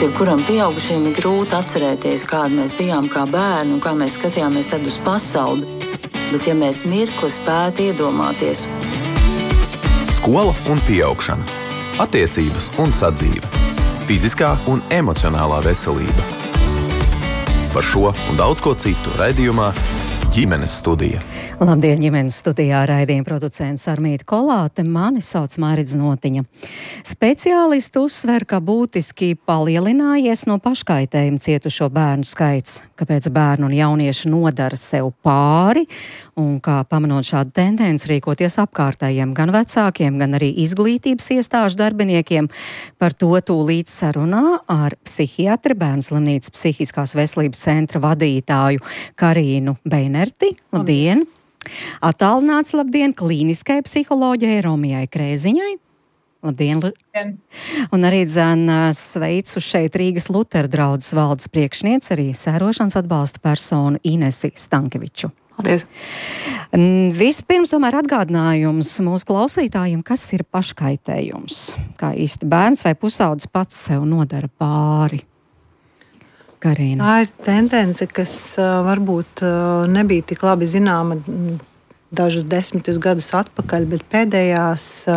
Jebkuram pieaugušajam ir grūti atcerēties, kādi mēs bijām kā bērni un kā mēs skatījāmies tad uz pasauli. Bet ja mēs mirkli spētu iedomāties. Skola un pieaugšana. Attiecības un sadzīve. Fiziskā un emocionālā veselība. Par šo un daudz ko citu raidījumā Ģimenes studija. Labdien, ģimenes studijā raidījuma producents Armīta Kolāte, mani sauc Māridz Notiņa. Speciālisti uzsver, ka būtiski palielinājies no paškaitējuma cietušo bērnu skaits, kāpēc bērnu un jaunieši nodara sev pāri un kā pamanot šādu tendenci rīkoties apkārtējiem gan vecākiem, gan arī izglītības iestāžu darbiniekiem. Par to tūlīt sarunā ar psihiatri, Bērnu slimnīcas psihiskās veselības centra vadītāju Karīnu Beinerti. Labdien! Attālināts labdien klīniskai psiholoģijai Romijai Krēziņai. Labdien! Un arī sveicu šeit Rīgas Lutera draudzes valdes priekšniece, arī sērošanas atbalsta personu Inesi Stankeviču. Paldies! Vispirms tomēr atgādinājums mūsu klausītājiem, kas ir paškaitējums. Kā īsti bērns vai pusaudzis pats sev nodara pāri? Karīna. Tā ir tendence, kas varbūt nebija tik labi zināma dažus 10 gadus atpakaļ, bet pēdējos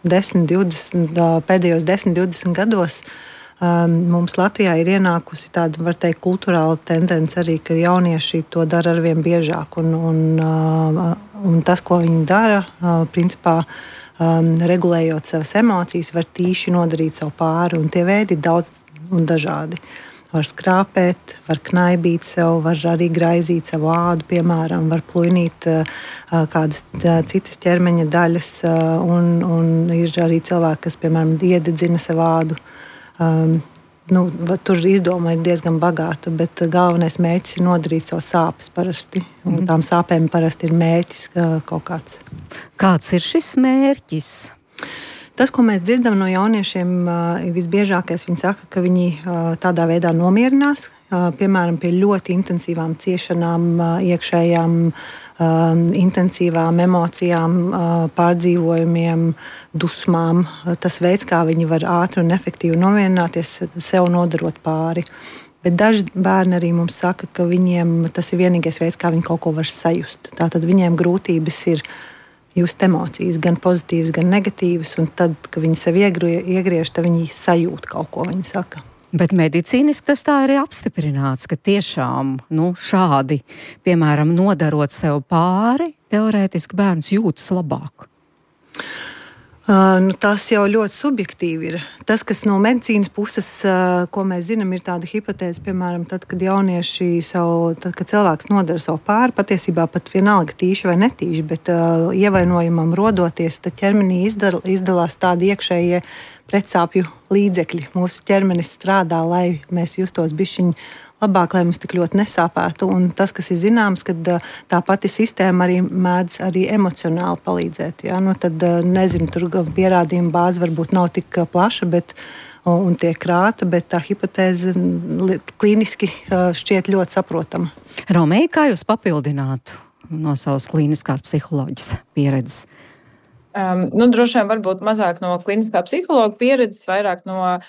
10-20 gados mums Latvijā ir ienākusi tāda, var teikt, kulturāla tendence arī, ka jaunieši to dara arvien biežāk. Un tas, ko viņi dara, principā regulējot savas emocijas, var tīši nodarīt savu pāri. Un tie veidi ir daudz un dažādi. Var skrāpēt, var knaibīt sev, var arī graizīt savu ādu, piemēram, var plūnīt kādas citas ķermeņa daļas, un ir arī cilvēki, kas, piemēram, iededzina savu ādu. Tur izdoma ir diezgan bagāta, bet galvenais mērķis ir nodarīt savu sāpes parasti. Un tām sāpēm parasti ir mērķis kaut kāds. Kāds ir šis mērķis? Tas, ko mēs dzirdam no jauniešiem, visbiežākais viņi saka, ka viņi tādā veidā nomierinās, piemēram, pie ļoti intensīvām ciešanām, iekšējām, intensīvām emocijām, pārdzīvojumiem, dusmām. Tas veids, kā viņi var ātri un efektīvi nomierināties, sev nodarot pāri. Bet daži bērni arī mums saka, ka viņiem tas ir vienīgais veids, kā viņi kaut ko var sajust. Tātad viņiem grūtības ir just emocijas, gan pozitīvas, gan negatīvas, un tad, kad viņi sev iegriež, tad viņi sajūt kaut ko, viņi saka. Bet medicīniski tas tā ir apstiprināts, ka tiešām šādi, piemēram, nodarot sev pāri, teorētiski bērns jūtas labāk. Tas jau ļoti subjektīvi ir. Tas, kas no medicīnas puses, ko mēs zinām, ir tāda hipotēze, piemēram, tad, kad kad cilvēks nodara savu pāri, patiesībā pat vienalga tīši vai netīši, bet ievainojumam rodoties, tad ķermenī izdalās tādi iekšējie pretsāpju līdzekļi. Mūsu ķermenis strādā, lai mēs justos bišķiņi labāk, lai mums tik ļoti nesāpētu. Un tas, kas ir zināms, ka tā pati sistēma arī mēdz arī emocionāli palīdzēt. Ja? Tad, nezinu, tur pierādījuma bāze varbūt nav tik plaša, un tiek krāta, bet tā hipotēze klīniski šķiet ļoti saprotama. Romija, kā jūs papildinātu no savas klīniskās psiholoģijas pieredzes? Droši vien varbūt mazāk no kliniskā psihologa pieredzes, vairāk no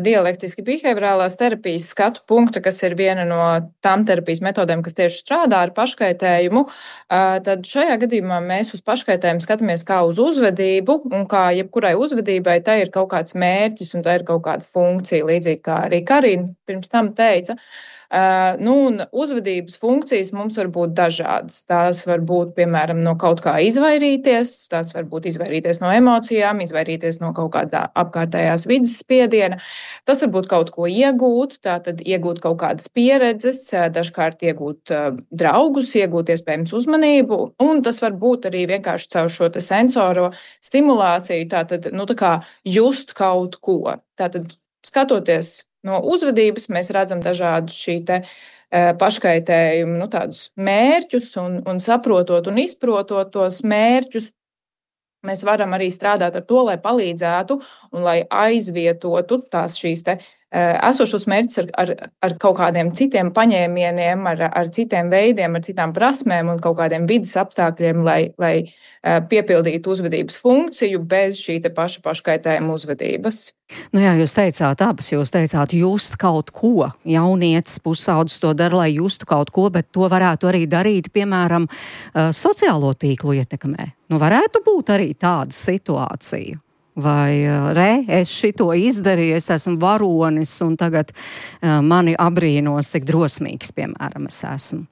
dialektiski behaviorālās terapijas skatu punkta, kas ir viena no tām terapijas metodēm, kas tieši strādā ar paškaitējumu. Tad šajā gadījumā mēs uz paškaitējumu skatāmies kā uz uzvedību, un kā jebkurai uzvedībai tai ir kaut kāds mērķis un tai ir kaut kāda funkcija, līdzīgi kā arī Karīna pirms tam teica. Un uzvedības funkcijas mums var būt dažādas. Tās var būt, piemēram, no kaut kā izvairīties, tās var būt izvairīties no emocijām, izvairīties no kaut kādā apkārtējās vides spiediena. Tas var būt kaut ko iegūt, tātad iegūt kaut kādas pieredzes, dažkārt iegūt draugus, iegūt iespējams uzmanību, un tas var būt arī vienkārši caur šo te sensoro stimulāciju, tātad, tā kā just kaut ko. Tātad, skatoties no uzvedības, mēs redzam dažādus šī te paškaitējumu, tādus mērķus un saprotot un izprotot tos mērķus, mēs varam arī strādāt ar to, lai palīdzētu un lai aizvietotu tās šīs te esošos mērķus ar kaut kādiem citiem paņēmieniem, ar citiem veidiem, ar citām prasmēm un kaut kādiem vidas apstākļiem, lai piepildītu uzvedības funkciju bez šī te paškaitējuma uzvedības. Nu jā, jūs teicāt, just kaut ko. Jaunietis, pusaudzis to dara, lai justu kaut ko, bet to varētu arī darīt, piemēram, sociālo tīklu ietekmē. Nu, varētu būt arī tāda situācija. Vai es šito izdarīju, es esmu varonis un tagad mani abrīnos, cik drosmīgs, piemēram, es esmu.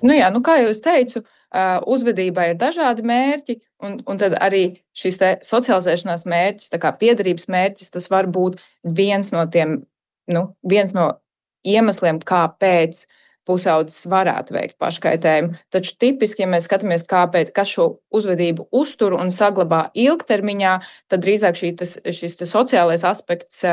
Nu jā, kā jau es teicu, uzvedībā ir dažādi mērķi, un tad arī šis te socializēšanās mērķis, tā kā piederības mērķis, tas var būt viens no iemesliem, kāpēc pusaudzis varētu veikt paškaitējumu. Taču tipiski, ja mēs skatāmies, kas šo uzvedību uztur un saglabā ilgtermiņā, tad drīzāk šis sociālais aspekts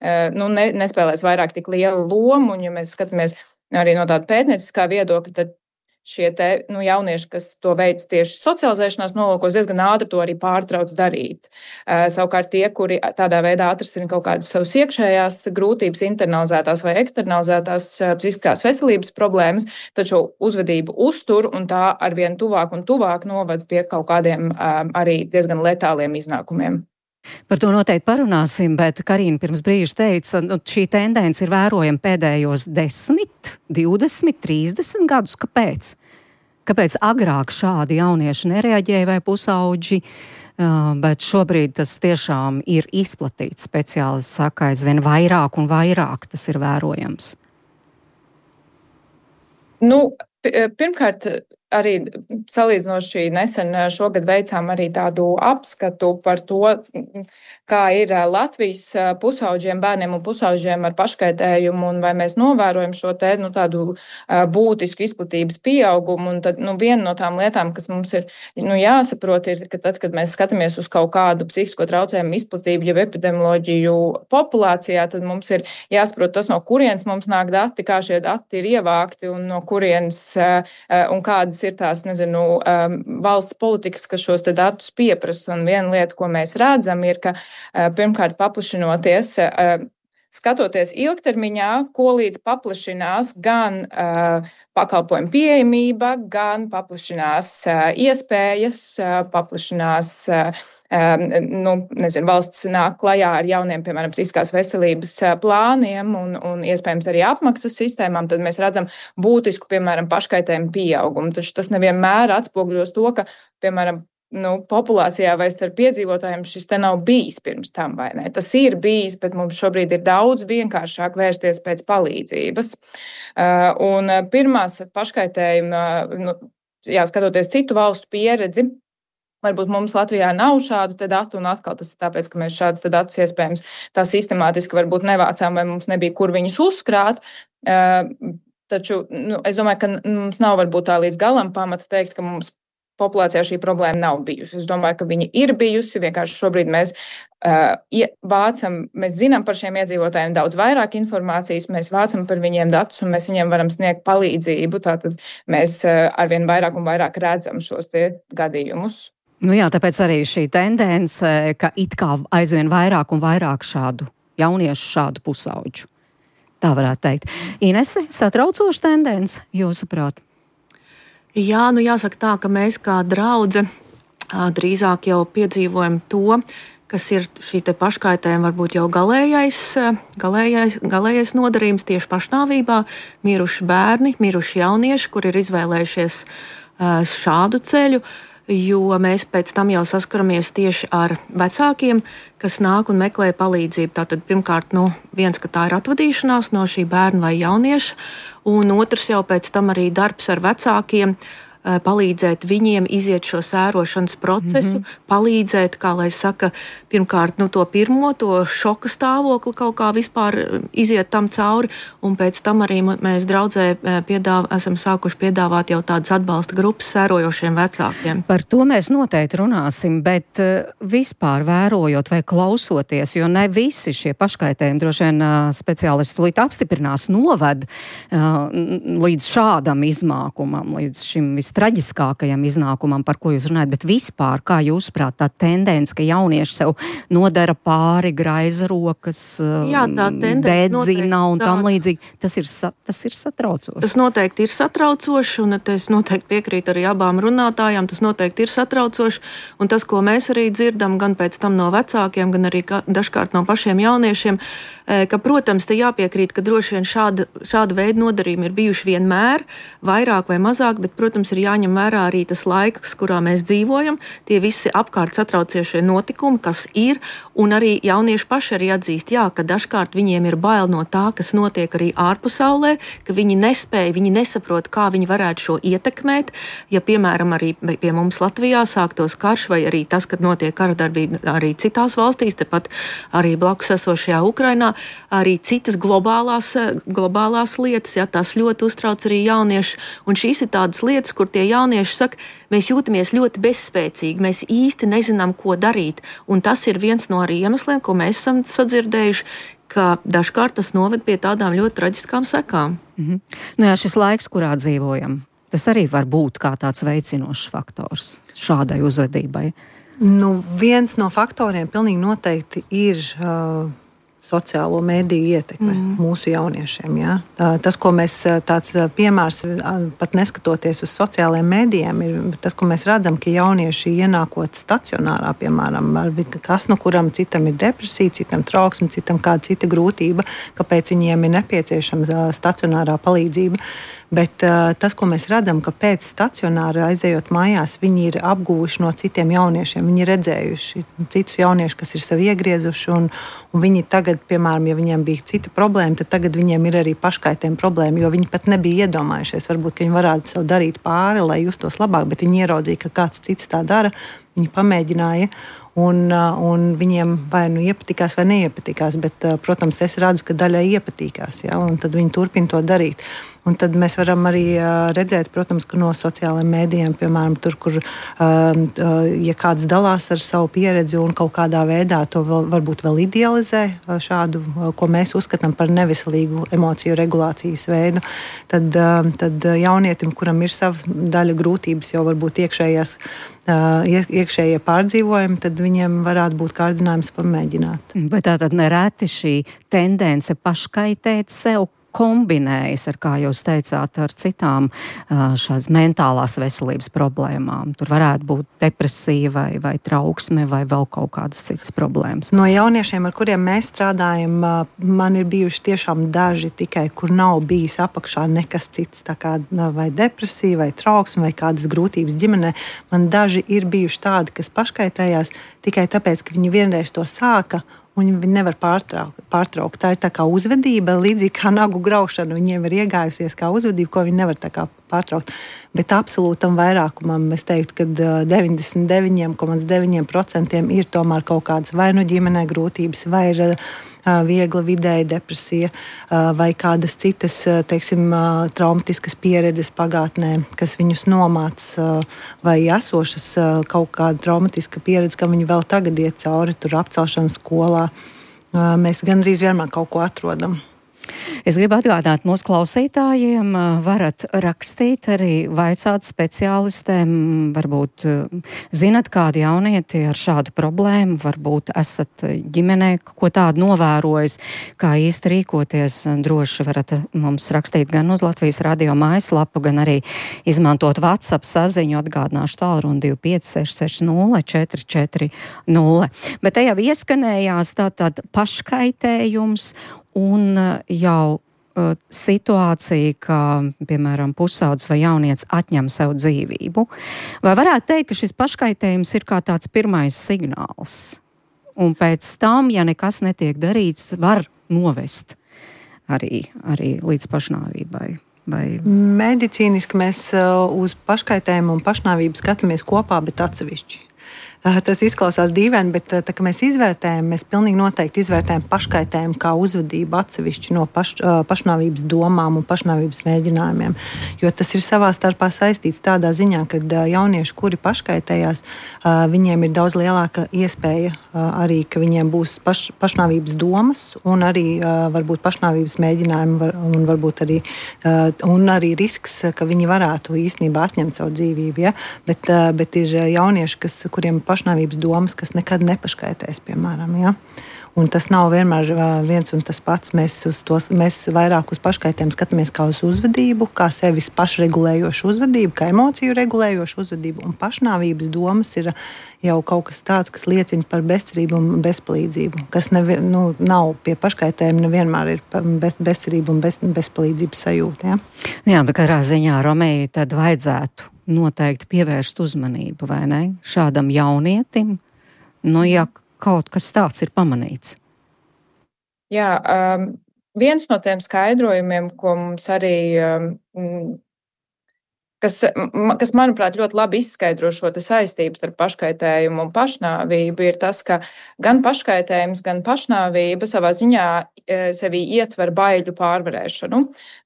nespēlēs vairāk tik lielu lomu, un ja mēs skatāmies arī no tāda pētnieciskā viedokļa, tad šie jaunieši, kas to veic tieši socializēšanās nolūkos, diezgan ātri to arī pārtrauc darīt. Savukārt tie, kuri tādā veidā atrisina kaut kādus savus iekšējās grūtības, internalizētās vai eksternalizētās psihiskās veselības problēmas, taču uzvedību uztur un tā arvien tuvāk un tuvāk noved pie kaut kādiem arī diezgan letāliem iznākumiem. Par to noteikti parunāsim, bet Karina pirms brīža teica, šī tendence ir vērojama pēdējos 10, 20, 30 gadus. Kāpēc? Kāpēc agrāk šādi jaunieši nereaģēja vai pusauģi, bet šobrīd tas tiešām ir izplatīts? Speciālists saka, aizvien vairāk un vairāk tas ir vērojams. Pirmkārt, arī salīdzinoši nesen šogad veicām arī tādu apskatu par to, kā ir Latvijas pusauģiem, bērniem un pusauģiem ar paškaitējumu, un vai mēs novērojam šo tādu būtisku izplatības pieaugumu. Un tad, viena no tām lietām, kas mums ir jāsaprot, ir, ka tad, kad mēs skatāmies uz kaut kādu psihisko traucējumu izplatību, jau epidemioloģiju populācijā, tad mums ir jāsaprot tas, no kurienes mums nāk dati, kā šie dati ir ievākti un no kurienes un kādas ir tās, valsts politikas, kas šos te datus pieprasa. Un viena lieta, ko mēs redzam, ir, ka pirmkārt paplašinoties, skatoties ilgtermiņā, ko līdz paplašinās gan pakalpojumu pieejamība, gan paplašinās iespējas, paplašinās valsts nāk klajā ar jauniem, piemēram, psihiskās veselības plāniem un iespējams arī apmaksas sistēmām, tad mēs redzam būtisku, piemēram, paškaitējumu pieaugumu. Taču tas nevienmēr atspoguļos to, ka, piemēram, populācijā vai starp iedzīvotājiem šis te nav bijis pirms tam, vai ne? Tas ir bijis, bet mums šobrīd ir daudz vienkāršāk vērsties pēc palīdzības. Un pirmās paškaitējuma, skatoties citu valstu pieredzi, varbūt mums Latvijā nav šādu te datu, un atkal tas ir tāpēc, ka mēs šādus te datus iespējams tā sistemātiski varbūt nevācām, vai mums nebija kur viņus uzkrāt. Taču es domāju, ka mums nav varbūt tā līdz galam pamata teikt, ka mums populācijā šī problēma nav bijusi. Es domāju, ka viņa ir bijusi, vienkārši šobrīd mēs mēs zinām par šiem iedzīvotājiem daudz vairāk informācijas, mēs vācam par viņiem datus un mēs viņiem varam sniegt palīdzību, tātad mēs arvien vairāk un vairāk redzam šos tie gadījumus. Tāpēc arī šī tendence, ka it kā aizvien vairāk un vairāk šādu jauniešu, šādu pusauģu. Tā varētu teikt. Inese, satraucoša tendence, jūsuprāt? Jā, jāsaka tā, ka mēs kā draudze drīzāk jau piedzīvojam to, kas ir šī te paškaitējuma varbūt jau galējais nodarījums tieši pašnāvībā, miruši bērni, miruši jaunieši, kur ir izvēlējušies šādu ceļu. Jo mēs pēc tam jau saskaramies tieši ar vecākiem, kas nāk un meklē palīdzību. Tātad pirmkārt, viens, ka tā ir atvadīšanās no šī bērna vai jaunieša, un otrs jau pēc tam arī darbs ar vecākiem, palīdzēt viņiem iziet šo sērošanas procesu, palīdzēt, kā lai saka, pirmkārt, to šoka stāvokli kaut kā vispār iziet tam cauri, un pēc tam arī mēs draudzē esam sākuši piedāvāt jau tādas atbalsta grupas sērojošiem vecākiem. Par to mēs noteikti runāsim, bet vispār vērojot vai klausoties, jo ne visi šie paškaitējumi, droši vien speciālisti tūlīt apstiprinās, noved līdz šādam izmākumam, līdz šim traģiskākajam iznākumam, par ko jūs runājat, bet vispār, kā jūsuprāt, tā tendence, ka jaunieši sev nodara pāri, graiza rokas, dedzina un tam līdzīgi, tas ir satraucoši. Tas noteikti ir satraucoši, un es noteikti piekrītu arī abām runātājām, tas noteikti ir satraucoši, un tas, ko mēs arī dzirdam, gan pēc tam no vecākiem, gan arī dažkārt no pašiem jauniešiem, ka, protams, te jāpiekrīt, ka droši vien šāda veida nodarījumi ir bijuši vienmēr, vairāk vai mazāk, bet, protams, ir jāņem vērā arī tas laiks, kurā mēs dzīvojam, tie visi apkārt satraucošie notikumi, kas ir, un arī jaunieši paši arī atzīst, jā, ka dažkārt viņiem ir bail no tā, kas notiek arī ārpasaulē, ka viņi nespēja, viņi nesaprot, kā viņi varētu šo ietekmēt, ja, piemēram, arī pie mums Latvijā sāktos karš, vai arī tas, kad notiek karadarbība arī citās valstīs, tepat arī blakus esošajā Ukrainā, arī citas globālās lietas, ja, tās ļoti uztrauc arī jaunieši, un šīs ir tādas lietas, kur tie jaunieši saka, mēs jūtamies ļoti bezspēcīgi, mēs īsti nezinām, ko darīt, un tas ir viens no arī iemesliem, ko mēs esam sadzirdējuši, ka dažkārt tas noved pie tādām ļoti traģiskām sekām. Nu jā, šis laiks, kurā dzīvojam, tas arī var būt kā tāds veicinošs faktors šādai uzvedībai. Nu, viens no faktoriem pilnīgi noteikti ir sociālo mediju ietekme mūsu jauniešiem. Ja? Tas, ko mēs tāds piemērs, pat neskatoties uz sociālajiem medijiem, ir tas, ko mēs redzam, ka jaunieši ienākot stacionārā, piemēram, kas no kuram citam ir depresija, citam trauksme, citam kāda cita grūtība, kāpēc viņiem ir nepieciešama stacionārā palīdzība. Bet tas, ko mēs redzam, ka pēc stacionāra aizejot mājās, viņi ir apguvuši no citiem jauniešiem. Viņi ir redzējuši citus jauniešus, kas ir sev iegriezuši, un viņi tagad, piemēram, ja viņiem bija cita problēma, tad tagad viņiem ir arī paškaitējuma problēma, jo viņi pat nebija iedomājušies, varbūt, ka viņi varētu sev darīt pāri, lai justos labāk, bet viņi ieraudzīja, ka kāds cits tā dara, viņi pamēģināja. Un viņiem vai nu iepatikās vai neiepatikās, bet, protams, es redzu, ka daļai iepatīkās, ja, un tad viņi turpina to darīt. Un tad mēs varam arī redzēt, protams, ka no sociālajiem mēdījiem, piemēram, tur, kur, ja kāds dalās ar savu pieredzi un kaut kādā veidā to varbūt vēl idealizē šādu, ko mēs uzskatām par neveselīgu emociju regulācijas veidu, tad jaunietim, kuram ir sava daļa grūtības, jau varbūt iekšējie pārdzīvojumi, tad viņiem varētu būt kārdinājums pamēģināt. Bet tātad nereti šī tendence paškaitēt sev kombinējas ar, kā jūs teicāt, ar citām šās mentālās veselības problēmām. Tur varētu būt depresija vai trauksme vai vēl kaut kādas citas problēmas. No jauniešiem, ar kuriem mēs strādājam, man ir bijuši tiešām daži tikai, kur nav bijis apakšā nekas cits, tā kā vai depresija, vai trauksme, vai kādas grūtības ģimenē. Man daži ir bijuši tādi, kas paškaitējās tikai tāpēc, ka viņi vienreiz to sāka, un viņi nevar pārtraukt. Tā ir tā kā uzvedība, līdzīgi kā nagu graušana. Viņiem ir iegājusies kā uzvedība, ko viņi nevar tā kā pārtraukt. Bet absolūtam vairākumam es teiktu, ka 99,9% ir tomēr kaut kādas vai nu ģimenē grūtības, vai ir viegla vidēja depresija, vai kādas citas, teiksim, traumatiskas pieredzes pagātnē, kas viņus nomāca, vai esošas kaut kāda traumatiska pieredze, kam viņi vēl tagad iet cauri, tur apcelšanas skolā. Mēs gandrīz vienmēr kaut ko atrodam. Es gribu atgādināt mūsu klausītājiem, varat rakstīt, arī vaicāt speciālistēm, varbūt zinat kādu jaunieti ar šādu problēmu, varbūt esat ģimenē, ko tādu novērojis, kā īsti rīkoties. Droši varat mums rakstīt gan uz Latvijas radio mājaslapu, gan arī izmantot WhatsApp saziņu, atgādināšu tālruni 25 660 440. Bet te jau ieskanējās tātad paškaitējums un jau situācija, ka, piemēram, pusaudzis vai jaunietis atņem sev dzīvību. Vai varētu teikt, ka šis paškaitējums ir kā tāds pirmais signāls? Un pēc tam, ja nekas netiek darīts, var novest arī līdz pašnāvībai? Vai... Medicīniski mēs uz paškaitējumu un pašnāvību skatāmies kopā, bet atsevišķi. Tas izklausās dīvaini, bet tā, ka mēs izvērtējam, mēs pilnīgi noteikti izvērtējam paškaitējumu kā uzvedību atsevišķi no pašnāvības domām un pašnāvības mēģinājumiem. Jo tas ir savā starpā saistīts tādā ziņā, ka jaunieši, kuri paškaitējās, viņiem ir daudz lielāka iespēja arī, ka viņiem būs pašnāvības domas un arī varbūt pašnāvības mēģinājumi un varbūt arī risks, ka viņi varētu īstenībā atņemt savu dzīvību. Ja? Bet ir jaunieši, kuriem ir pašnāvības domas, kas nekad nepaškaitēs, piemēram. Ja? Un tas nav vienmēr viens un tas pats. Mēs vairāk uz paškaitējumu skatāmies kā uz uzvedību, kā sevis pašregulējošu uzvedību, kā emociju regulējošu uzvedību. Un pašnāvības domas ir jau kaut kas tāds, kas liecina par bezcerību un bezpalīdzību. Kas nav pie paškaitējuma, nevienmēr ir bezcerība un bezpalīdzības sajūta. Ja? Jā, bet katrā ziņā, Romei, tad vajadzētu noteikti pievērst uzmanību, vai ne? Šādam jaunietim, ja kaut kas tāds ir pamanīts. Jā, viens no tiem skaidrojumiem, ko mums arī, kas manuprāt, ļoti labi izskaidro šo saistību starp paškaitējumu un pašnāvību, ir tas, ka gan paškaitējums, gan pašnāvība savā ziņā sevī ietver baiļu pārvarēšanu.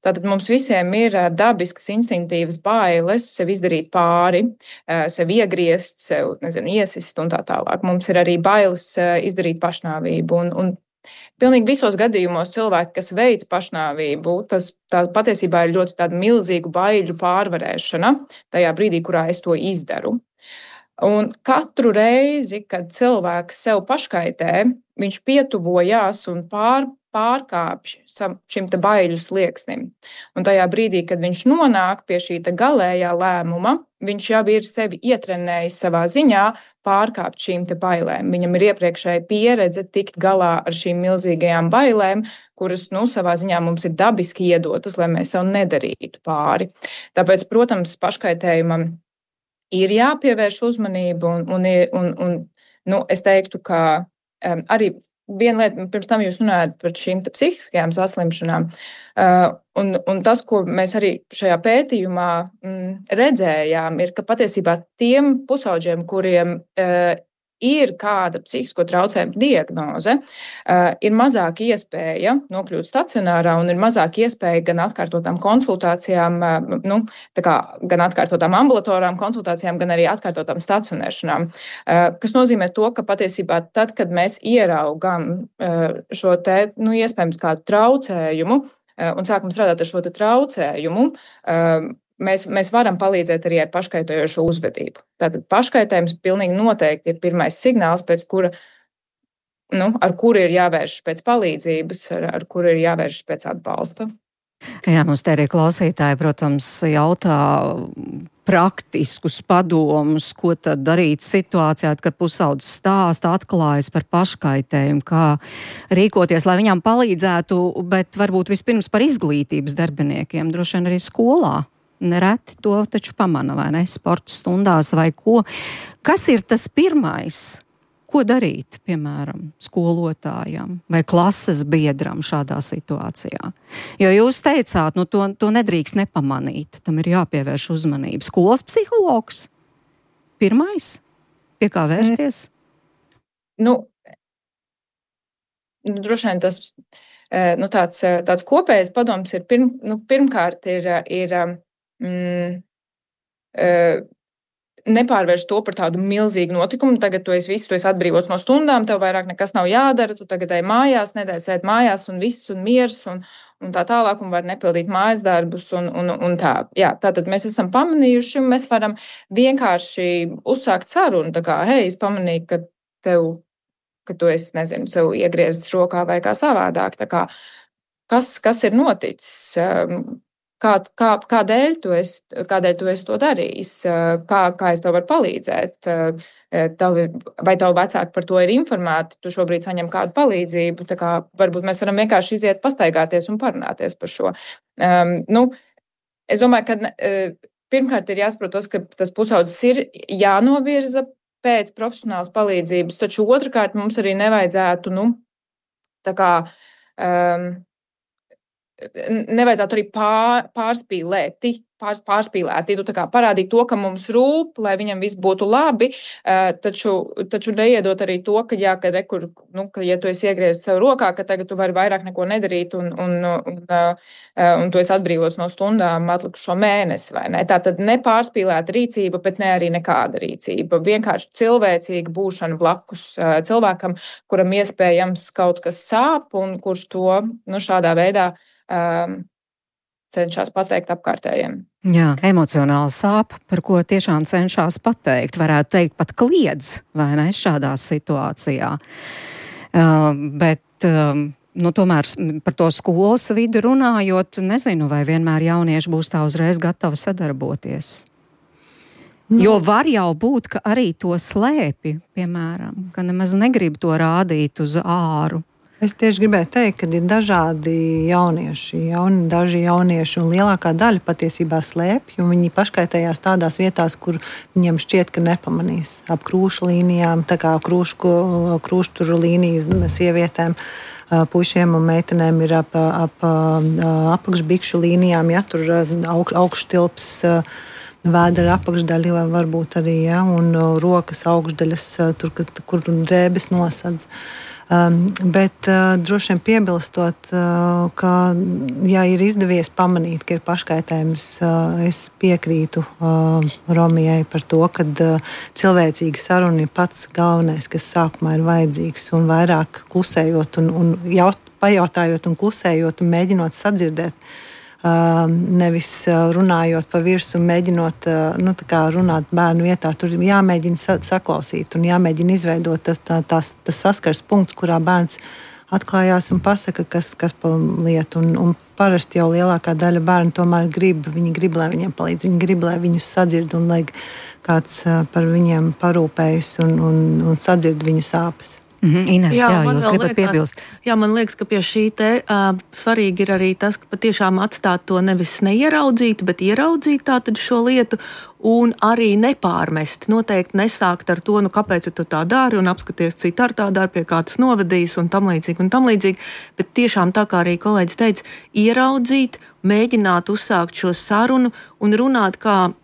Tātad mums visiem ir dabiskas, instinktīvas bailes sev izdarīt pāri, sev iegriezt, sev, iesist un tā tālāk. Mums ir arī bailes izdarīt pašnāvību. Un pilnīgi visos gadījumos cilvēki, kas veic pašnāvību, tā patiesībā ir ļoti tāda milzīgu baiļu pārvarēšana tajā brīdī, kurā es to izdaru. Un katru reizi, kad cilvēks sev paškaitē, viņš pietuvojās un pārkāpj šim te baiļu slieksnim. Un tajā brīdī, kad viņš nonāk pie šī galējā lēmuma, viņš jau ir sevi ietrenējis savā ziņā pārkāpt šīm te bailēm. Viņam ir iepriekšēja pieredze tikt galā ar šīm milzīgajām bailēm, kuras, savā ziņā mums ir dabiski iedotas, lai mēs sev nedarītu pāri. Tāpēc, protams, paškaitējumam ir jāpievērš uzmanību un es teiktu, ka arī viena lieta, pirms tam jūs runājat par šīm psihiskajām saslimšanām, un tas, ko mēs arī šajā pētījumā redzējām, ir, ka patiesībā tiem pusaudžiem, kuriem ir kāda psihisko traucējumu diagnoze, ir mazāk iespēja nokļūt stacionārā un ir mazāk iespēja gan atkārtotām konsultācijām, gan atkārtotām ambulatorām konsultācijām, gan arī atkārtotām stacionēšanām. Kas nozīmē to, ka patiesībā tad, kad mēs ieraugam šo iespējams kādu traucējumu un sākam strādāt ar šo traucējumu, mēs varam palīdzēt arī ar paškaitējošo uzvedību. Tātad paškaitējums pilnīgi noteikti ir pirmais signāls, pēc kura, ar kuru ir jāvēršas pēc palīdzības, ar kuru ir jāvēršas pēc atbalsta. Jā, mums te arī klausītāji, protams, jautā praktiskus padomus, ko tad darīt situācijā, kad pusaudzis stāsta, atklājas par paškaitējumu, kā rīkoties, lai viņam palīdzētu, bet varbūt vispirms par izglītības darbiniekiem, droši vien arī skolā. Nereti to taču pamana, vai ne, sporta stundās vai ko. Kas ir tas pirmais, ko darīt, piemēram, skolotājam vai klases biedram šādā situācijā? Jo jūs teicāt, to nedrīkst nepamanīt, tam ir jāpievērš uzmanība. Skolas psihologs? Pirmais? Pie kā vērsties? Droši vien tas tāds kopējs padoms ir pirmkārt ir nepārvērst to par tādu milzīgu notikumu. Tagad tu esi atbrīvots no stundām, tev vairāk nekas nav jādara, tu tagad ej mājās, nedēļ sēd mājās un viss un miers un tā tālāk un var nepildīt mājas darbus un tā. Jā, tātad mēs esam pamanījuši, mēs varam vienkārši uzsākt sarunu, tā kā, hei, es pamanīju, ka tu esi, sev iegriezis rokā vai kā savādāk, tā kā, kas ir noticis? Kādēļ tu esi to darījis? Kā es tev varu palīdzēt? Vai tavu vecāki par to ir informēti? Tu šobrīd saņem kādu palīdzību? Tā kā varbūt mēs varam vienkārši iziet pastaigāties un parunāties par šo. Es domāju, ka pirmkārt ir jāsaprot tas, ka tas pusaudzis ir jānovirza pēc profesionālas palīdzības, taču otrkārt mums arī nevajadzētu, nevajadzētu arī pārspīlēti, tā kā parādīt to, ka mums rūp, lai viņam viss būtu labi, taču neiedot arī to, ka, jā, ka ja tu esi iegriezis sev rokā, ka tagad tu vari vairāk neko nedarīt un tu esi atbrīvots no stundām atlikušo mēnesi, vai ne? Tātad nepārspīlēta rīcība, bet ne arī nekāda rīcība. Vienkārši cilvēcīga būšana blakus cilvēkam, kuram iespējams kaut kas sāp un kurš to šādā veidā cenšas pateikt apkārtējiem. Jā, emocionāli sāp, par ko tiešām cenšas pateikt. Varētu teikt pat kliedz, vai ne, šādā situācijā. Bet, tomēr par to skolas vidi runājot, nezinu, vai vienmēr jaunieši būs tā uzreiz gatavi sadarboties. Jo var jau būt, ka arī to slēpi, piemēram, ka nemaz negrib to rādīt uz āru. Es tieši gribēju teikt, ka ir dažādi jaunieši, daži jaunieši un lielākā daļa patiesībā slēpj, un viņi paškaitējās tādās vietās, kur viņiem šķiet, ka nepamanīs. Ap krūšu līnijām, tā kā krūšturu līniju sievietēm, puišiem un meitenēm ir ap apakšbikšu līnijām, ja tur augštilps vēdera apakšdaļa varbūt arī, ja, un rokas augšdaļas, tur, kur drēbes nosadz. Bet droši vien piebilstot, ka, ja ir izdevies pamanīt, ka ir paškaitējums, es piekrītu Romijai par to, ka cilvēcīga saruna ir pats galvenais, kas sākumā ir vajadzīgs, un vairāk klusējot un pajautājot un klusējot un mēģinot sadzirdēt, nevis runājot pa virsu un mēģinot runāt bērnu vietā. Tur jāmēģina saklausīt un jāmēģina izveidot tas saskars punkts, kurā bērns atklājās un pasaka, kas pa lietu. Un parasti jau lielākā daļa bērnu tomēr grib, lai viņiem palīdz, viņi grib, lai viņus sadzird un lai kāds par viņiem parūpējas un sadzird viņu sāpes. Ines, jā, jūs gribat piebilst. Jā, man liekas, ka pie šī svarīgi ir arī tas, ka patiešām atstāt to nevis neieraudzīt, bet ieraudzīt tātad šo lietu un arī nepārmest. Noteikti nesākt ar to, kāpēc tu tā dari un apskaties, citi ar tā dari, pie kā tas novedīs un tam līdzīgi. Bet tiešām tā kā arī kolēģis teica, ieraudzīt, mēģināt uzsākt šo sarunu un runāt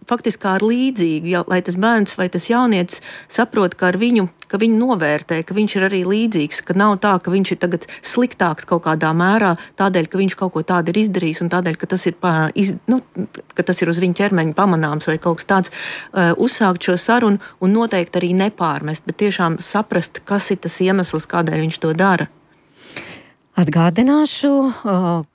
faktiski ar līdzīgu, lai tas bērns vai tas jaunietis saprot, ka viņu novērtē, ka viņš ir arī līdzīgs, ka nav tā, ka viņš ir tagad sliktāks kaut kādā mērā, tādēļ, ka viņš kaut ko tādu ir izdarījis un tādēļ, ka tas ir uz viņa ķermeņa pamanāms vai kaut kas tāds. Uzsākt šo sarunu un noteikti arī nepārmest, bet tiešām saprast, kas ir tas iemesls, kādēļ viņš to dara. Atgādināšu,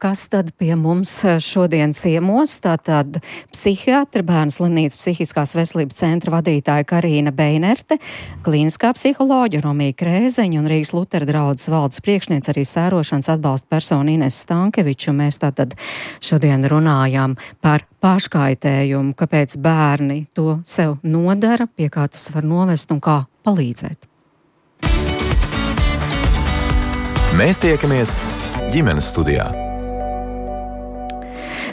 kas tad pie mums šodien ciemos. Tātad psihiatra, Bērnu slimnīcas psihiskās veselības centra vadītāja Karīna Beinerte, klīniskā psiholoģa Romija Krēzeņa un Rīgas Lutera draudzes valdes priekšniece arī sērošanas atbalsta persona Ines Stankeviča. Mēs tātad šodien runājām par paškaitējumu, kāpēc bērni to sev nodara, pie kā tas var novest un kā palīdzēt. Mēs tiekamies ģimenes studijā.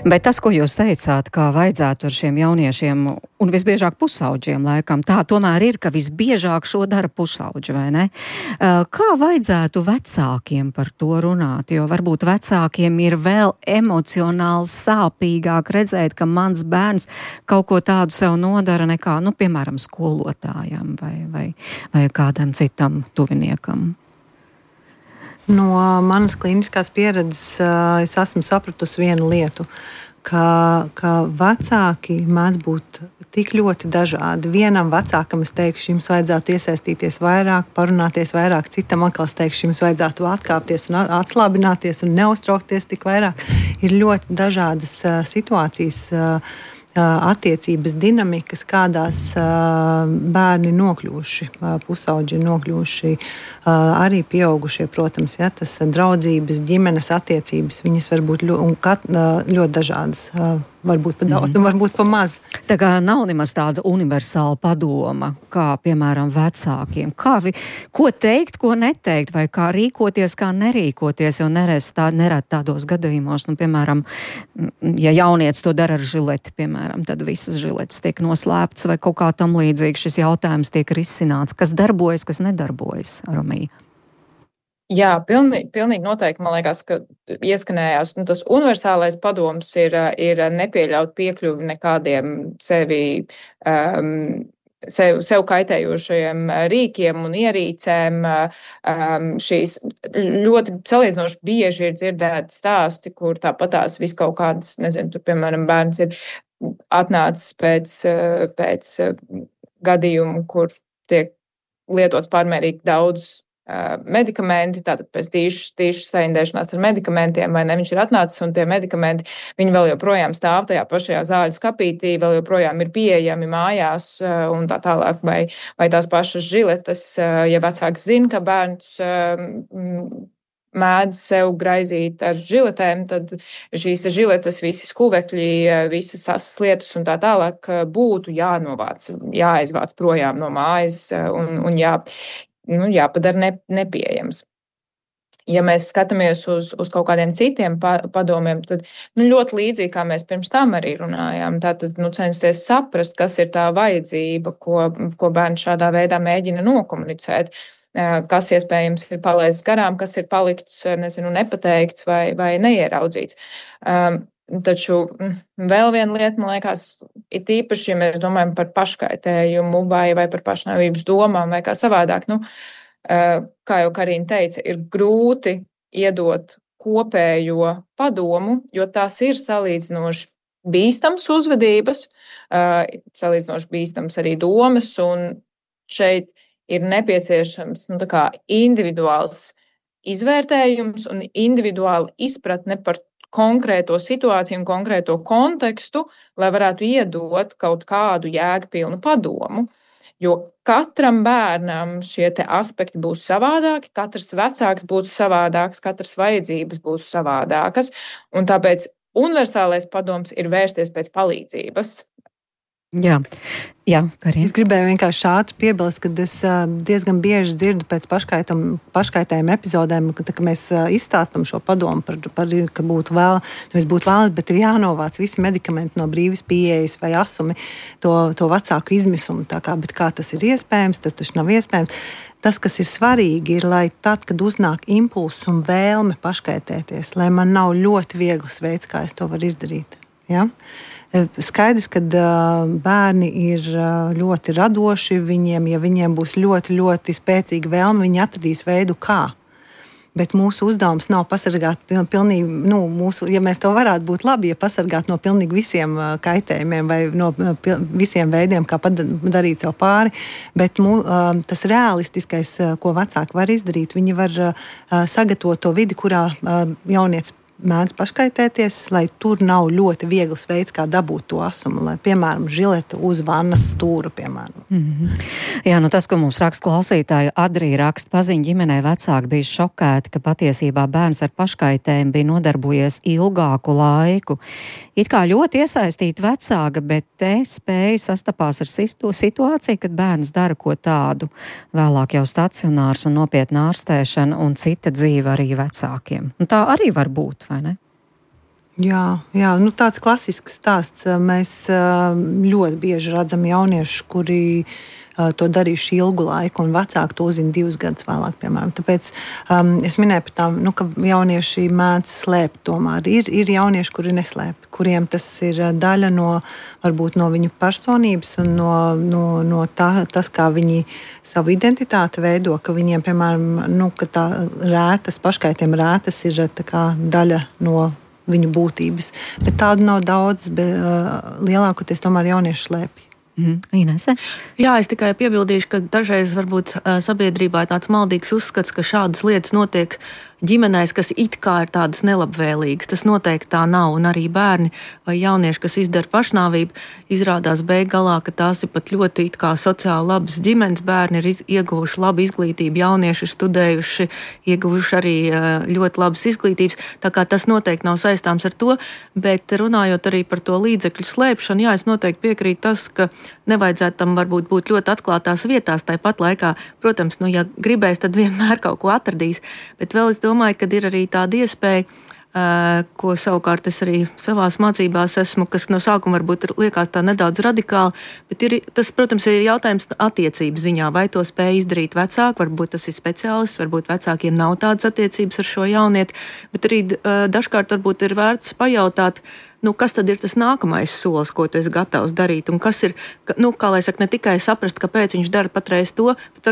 Bet tas, ko jūs teicāt, kā vajadzētu ar šiem jauniešiem un visbiežāk pusauģiem laikam, tā tomēr ir, ka visbiežāk šo dara pusauģi, vai ne? Kā vajadzētu vecākiem par to runāt? Jo varbūt vecākiem ir vēl emocionāli sāpīgāk redzēt, ka mans bērns kaut ko tādu sev nodara nekā, piemēram, skolotājam vai kādam citam tuviniekam. No manas klīniskās pieredzes es esmu sapratusi vienu lietu, ka vecāki mēdz būt tik ļoti dažādi. Vienam vecākam es teikšu, jums vajadzētu iesaistīties vairāk, parunāties vairāk, citam atkal es teikšu, jums vajadzētu atkāpties un atslābināties un neuztraukties tik vairāk. Ir ļoti dažādas situācijas, attiecības dinamikas, kādās bērni nokļūši, pusauģi nokļūši, arī pieaugušie, protams, ja, tas draudzības, ģimenes attiecības, viņas var būt ļoti dažādas. Varbūt pa daudz, varbūt pa maz. Tā kā nav nemaz tāda universāla padoma, kā, piemēram, vecākiem. Ko teikt, ko neteikt, vai kā rīkoties, kā nerīkoties, jo nerad tādos gadījumos, piemēram, ja jaunietis to dara ar žileti, piemēram, tad visas žiletes tiek noslēptas vai kaut kā tam līdzīgi šis jautājums tiek risināts. Kas darbojas, kas nedarbojas, Romija? Jā, pilnīgi noteikti. Man liekas, ka ieskanējās tas universālais padoms ir nepieļaut piekļuvi nekādiem sev kaitējošajiem rīkiem un ierīcēm. Šīs ļoti salīdzinoši bieži ir dzirdēti stāsti, kur tāpatās vis kaut kādas, nezinu, tur, piemēram, bērns ir atnācis pēc gadījumu, kur tiek lietots pārmērīgi daudz medikamenti, tātad pēc tīšas saindēšanās ar medikamentiem, vai ne, viņš ir atnācis un tie medikamenti, viņi vēl joprojām stāv tajā pašajā zāļu skapītī, vēl joprojām ir pieejami mājās un tā tālāk, vai tās pašas žiletes, ja vecāks zina, ka bērns mēdz sev graizīt ar žiletēm, tad šīs žiletes, visi skuvekļi, visas asas lietas un tā tālāk būtu jānovāc, jāaizvāc projām no mājas un jāpadara nepieejams. Ja mēs skatāmies uz kaut kādiem citiem padomiem, tad ļoti līdzīgi, kā mēs pirms tam arī runājām, tātad censties saprast, kas ir tā vajadzība, ko bērns šādā veidā mēģina nokomunicēt, kas iespējams ir palaists garām, kas ir palikts, nepateikts vai neieraudzīts. Taču vēl viena lieta, man liekas, ir tīpaši, ja mēs domājam par paškaitējumu vai par pašnāvības domām vai kā savādāk. Kā jau Karina teica, ir grūti iedot kopējo padomu, jo tās ir salīdzinoši bīstams uzvedības, salīdzinoši bīstams arī domas, un šeit ir nepieciešams individuāls izvērtējums un individuāla izpratne par konkrēto situāciju un konkrēto kontekstu, lai varētu iedot kaut kādu jēgpilnu padomu. Jo katram bērnam šie aspekti būs savādāki, katrs vecāks būs savādāks, katras vajadzības būs savādākas, un tāpēc universālais padoms ir vērsties pēc palīdzības. Jā, Karina. Es gribēju vienkārši ātri piebilst, ka es diezgan bieži dzirdu pēc paškaitējuma epizodēm, ka mēs izstāstam šo padomu par ka būtu vēlams, bet ir jānovāc visi medikamenti no brīvas pieejas vai asumi to vecāku izmisumu. Bet kā tas ir iespējams, tas taču nav iespējams. Tas, kas ir svarīgi, ir, lai tad, kad uznāk impulss un vēlme paškaitēties, lai man nav ļoti viegls veids, kā es to varu izdarīt. Ja? Skaidrs, ka bērni ir ļoti radoši, ja viņiem būs ļoti, ļoti spēcīga vēlme, viņi atradīs veidu, kā. Bet mūsu uzdevums nav pasargāt pilnīgi, ja mēs to varētu būt labi, ja pasargāt no pilnīgi visiem kaitējumiem vai no visiem veidiem, kā darīt sev pāri, bet tas realistiskais, ko vecāki var izdarīt, viņi var sagatavot to vidi, kurā jaunietis mēdz paškaitēties, lai tur nav ļoti viegls veids, kā dabūt to asumu, lai, piemēram, žileta uz vannas stūra, piemēram. Jā, tas, ko mums raksta klausītāja Adrija raksta, paziņa ģimenē vecāki bija šokēti, ka patiesībā bērns ar paškaitējumu bija nodarbojies ilgāku laiku. It kā ļoti iesaistīti vecāki, bet te spēja sastapās ar situāciju, kad bērns dara ko tādu. Vēlāk jau stacionārs un nopietna ārstēšana un cita dzīve arī vecākiem. Un tā arī var būt. Vai ne? Jā, tāds klasisks stāsts. Mēs ļoti bieži redzam jauniešus, kuri to darījuši ilgu laiku, un vecāki to uzzina 2 gadus vēlāk, piemēram. Tāpēc es minēju par tām, ka jaunieši mēdz slēpt tomēr. Ir jaunieši, kuri neslēp, kuriem tas ir daļa varbūt no viņu personības un no tas, kā viņi savu identitāti veido, ka viņiem, piemēram, ka tā paškaitējuma rētas ir tā kā daļa no viņu būtības. Bet tādu nav daudz, bet lielākoties tomēr jaunieši slēpj. Inese? Jā, es tikai piebildīšu, ka dažreiz varbūt sabiedrībā ir tāds maldīgs uzskats, ka šādas lietas notiek ģimenēs, kas it kā ir tādas nelabvēlīgas. Tas noteikti tā nav, un arī bērni vai jaunieši, kas izdara pašnāvību, izrādās beigās, ka tās ir pat ļoti it kā sociāli labas ģimenes. Bērni ir ieguvuši labu izglītību, jaunieši ir studējuši, ieguvuši arī ļoti labas izglītības, tā kā tas noteikti nav saistāms ar to, bet runājot arī par to līdzekļu slēpšanu, jā, es noteikti piekrītu tas, ka nevajadzētu tam varbūt būt ļoti atklātās vietās, tāpat laikā, protams, ja gribēs, tad vienmēr kaut ko atradīs, bet vēl es domāju, ka ir arī tāda iespēja ko savukārt es arī savās mācībās esmu, kas no sākuma varbūt liekas tā nedaudz radikāli, bet tas, protams, ir jautājums attiecības ziņā, vai to spēj izdarīt vecāki, varbūt tas ir speciālists, varbūt vecākiem nav tādas attiecības ar šo jaunieti, bet arī dažkārt varbūt ir vērts pajautāt, kas tad ir tas nākamais solis, ko tu esi gatavs darīt, un kas ir, kā lai saka, ne tikai saprast, kāpēc viņš dara patreiz to, bet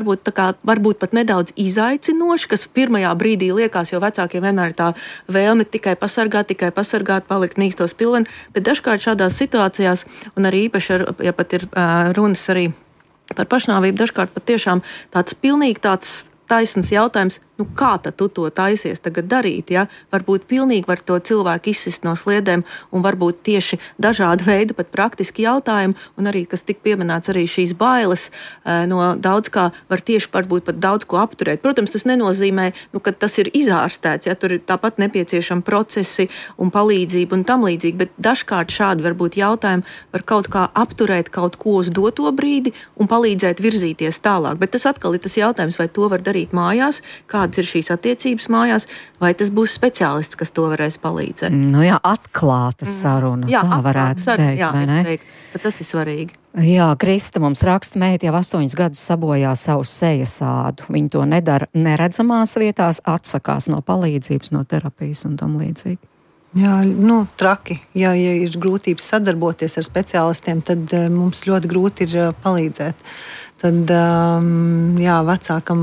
varbūt pat nedaudz izaicinoši, kas pirmajā brīdī liekas, jo vecākiem vienmēr ir tā vēlme tikai pasargāt, palikt mīkstos pilveni, bet dažkārt šādās situācijās, un arī īpaši, ja pat ir runas arī par pašnāvību, dažkārt pat tiešām tāds pilnīgi tāds taisns jautājums, kā tad tu to taisies tagad darīt, ja? Varbūt pilnīgi var to cilvēku izsist no sliedēm, un varbūt tieši dažādi veidi, pat praktiski jautājumi, un arī, kas tik pieminēts, arī šīs bailes no daudz kā var tieši varbūt pat daudz ko apturēt. Protams, tas nenozīmē, ka tas ir izārstēts, ja tur ir tāpat nepieciešami procesi un palīdzība un tam līdzīgi, bet dažkārt šādi varbūt jautājumi var kaut kā apturēt kaut ko uz doto brīdi un palīdzēt virzīties tālāk. Bet tas atkal ir tas jautājums, vai to var darīt mājās, kādas ir šīs attiecības mājās, vai tas būs speciālists, kas to varēs palīdzēt. Atklāta saruna, tā varētu teikt, vai ne? Tas ir svarīgi. Jā, Krista mums raksta, meita jau 8 gadus sabojā savu sejas ādu. Viņa to nedara neredzamās vietās, atsakās no palīdzības, no terapijas un tam līdzīgi. Jā, traki. Ja ir grūtības sadarboties ar speciālistiem, tad mums ļoti grūti ir palīdzēt. Tad, vecākam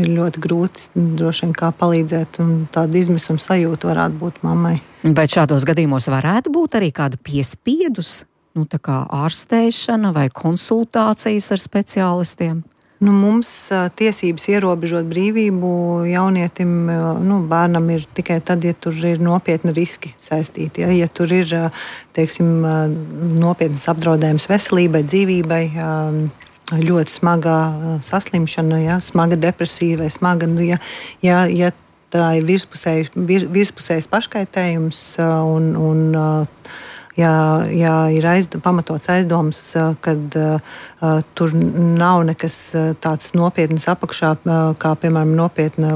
ir ļoti grūti droši vien kā palīdzēt, un tāda izmisuma sajūta varētu būt mammai. Bet šādos gadījumos varētu būt arī kāda piespiedus, tā kā ārstēšana vai konsultācijas ar speciālistiem? Mums tiesības ierobežot brīvību jaunietim, bērnam ir tikai tad, ja tur ir nopietni riski saistīti. Ja tur ir, teiksim, nopietnas apdraudējums veselībai, dzīvībai, ļoti smagā saslimšana, smaga depresija vai smaga, ja tā ir virspusējs paškaitējums un ir pamatots aizdoms, kad tur nav nekas tāds nopietnas apakšā, kā piemēram nopietna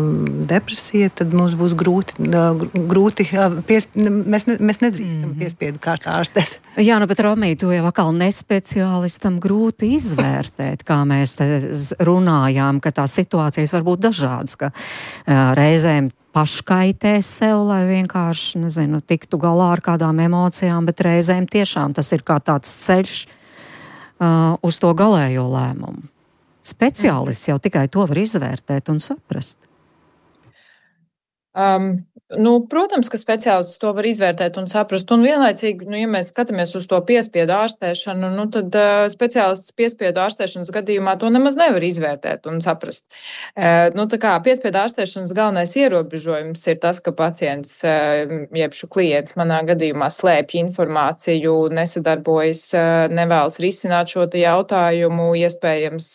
depresija, tad mums būs grūti mēs nedrīkstam piespiedu kārtā ārstēt. Jā, bet Romija, tu jau atkal nespeciālistam grūti izvērtēt, kā mēs te runājām, ka tās situācijas var būt dažādas, ka reizēm paškaitēs sev, lai vienkārši, tiktu galā ar kādām emocijām, bet reizēm tiešām tas ir kā tāds ceļš uz to galējo lēmumu. Speciālists jau tikai to var izvērtēt un saprast. Protams, ka speciālists to var izvērtēt un saprast. Un vienlaicīgi, ja mēs skatāmies uz to piespiedu ārstēšanu, tad speciālists piespiedu ārstēšanas gadījumā to nemaz nevar izvērtēt un saprast. Piespiedu ārstēšanas galvenais ierobežojums ir tas, ka pacients, jeb klients manā gadījumā slēpj informāciju, nesadarbojas, nevēlas risināt šo jautājumu, iespējams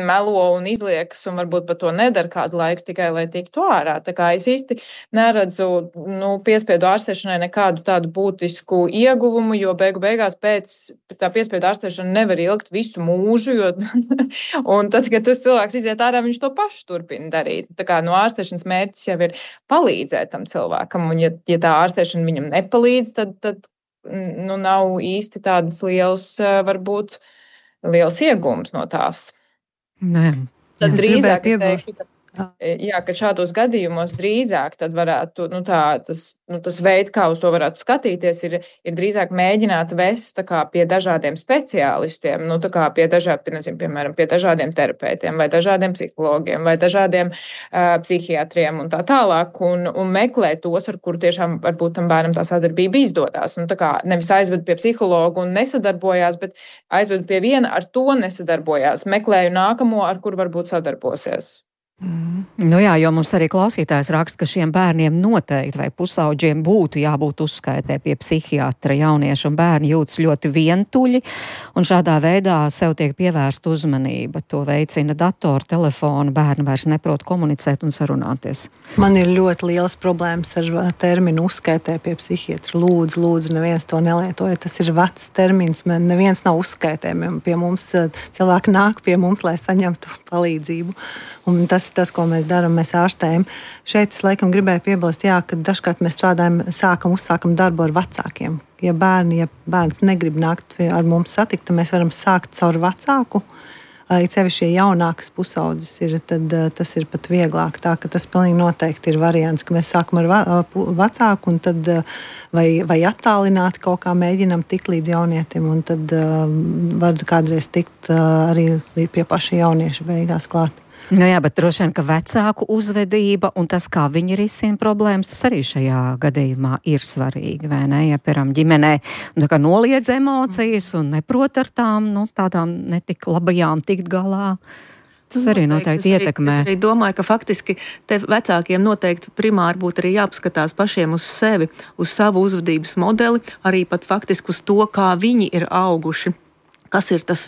melo un izliekas un varbūt pat to nedara kādu laiku tikai, lai tiktu ārā. Es īsti neredzu piespiedu ārstēšanai nekādu tādu būtisku ieguvumu, jo beigās pēc tā piespiedu ārstēšana nevar ilgt visu mūžu, un tad, kad tas cilvēks iziet ārā, viņš to pašu turpina darīt. Ārstēšanas mērķis jau ir palīdzēt tam cilvēkam, un ja tā ārstēšana viņam nepalīdz, tad nav īsti tādas liels iegūms no tās. Nē. Tad drīzāk es teikšu, ka šādos gadījumos drīzāk tad varētu, tas veids, kā uz to varētu skatīties, ir drīzāk mēģināt vest pie dažādiem speciālistiem, piemēram, pie dažādiem terapeitiem vai dažādiem psihologiem vai dažādiem psihiatriem un tā tālāk, un meklēt tos, ar kur tiešām varbūt tam bērnam tā sadarbība izdodās. Nevis aizved pie psihologa un nesadarbojās, bet aizved pie viena, ar to nesadarbojās. Meklēju nākamo, ar kur varbūt sadarbosies. Jā, jo mums arī klausītājs raksta, ka šiem bērniem noteikti vai pusauģiem būtu jābūt uzskaitē pie psihiatra. Jaunieši un bērni jūtas ļoti vientuļi, un šādā veidā sev tiek pievērsta uzmanība. To veicina datori, telefoni, bērni vairs neprot komunicēt un sarunāties. Man ir ļoti liels problēmas ar terminu uzskaitē pie psihiatra. Lūdzu, neviens to nelietoja. Tas ir vecs termins, man neviens nav uzskaitē. Pie mums cilvēki nāk pie mums, lai saņemtu palīdzību. Un tas tas ir tas, ko mēs darām, mēs ārstējam. Šeit es laikam gribēju piebilst, ka dažkārt mēs uzsākam darbu ar vecākiem. Ja bērns negrib nākt ar mums satikt, tad mēs varam sākt caur vecāku. It sevišķi jaunākas pusaudzes tad tas ir pat vieglāk. Tā ka tas pilnīgi noteikti ir variants, ka mēs sākam ar vecāku un tad vai attālināti kaut kā mēģinam tikt līdz jaunietim, un tad var kādreiz tikt arī pie paša jaunieša beigās klāt. Nu jā, bet droši vien, ka vecāku uzvedība un tas, kā viņi risina problēmas, tas arī šajā gadījumā ir svarīgi, vai ne? Ja, piemēram, ģimenē noliedz emocijas un neprot ar tādām netik labajām tikt galā. Tas arī noteikti ietekmē. Es arī domāju, ka faktiski te vecākiem noteikti primāri būtu arī jāpaskatās pašiem uz sevi, uz savu uzvedības modeli, arī pat faktiski uz to, kā viņi ir auguši. Kas ir tas,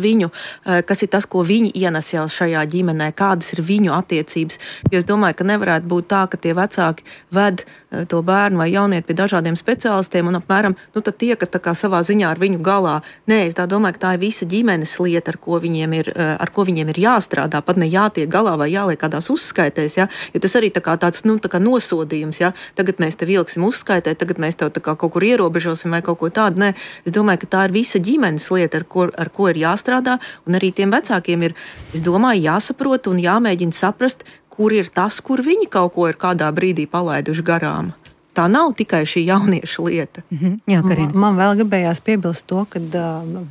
ko viņi ienes jau šajā ģimenē, kādas ir viņu attiecības. Jo es domāju, ka nevarētu būt tā, ka tie vecāki ved to bērnu vai jaunieti pie dažādiem speciālistiem un apmēram, tad tiekat tā kā savā ziņā ar viņu galā. Nē, es tā domāju, ka tā ir visa ģimenes lieta, ar ko viņiem ir jāstrādā, pat ne jātiek galā vai jāliek kādās uzskaitēs, ja? Jo tas arī tāds nosodījums, ja? Tagad mēs tev vilksim uzskaitē, tagad mēs tev kaut kur ierobežosim vai kaut ko tādu. Nē, es domāju, ka tā ir visa ģimenes lieta, ar ko ir jāstrādā, un arī tiem vecākiem ir, es domāju, jāsaprot un jāmēģina saprast, kur ir tas, kur viņi kaut ko ir kādā brīdī palaiduši garām. Tā nav tikai šī jaunieša lieta. Jā, Karina. Man vēl gribējās piebilst to, ka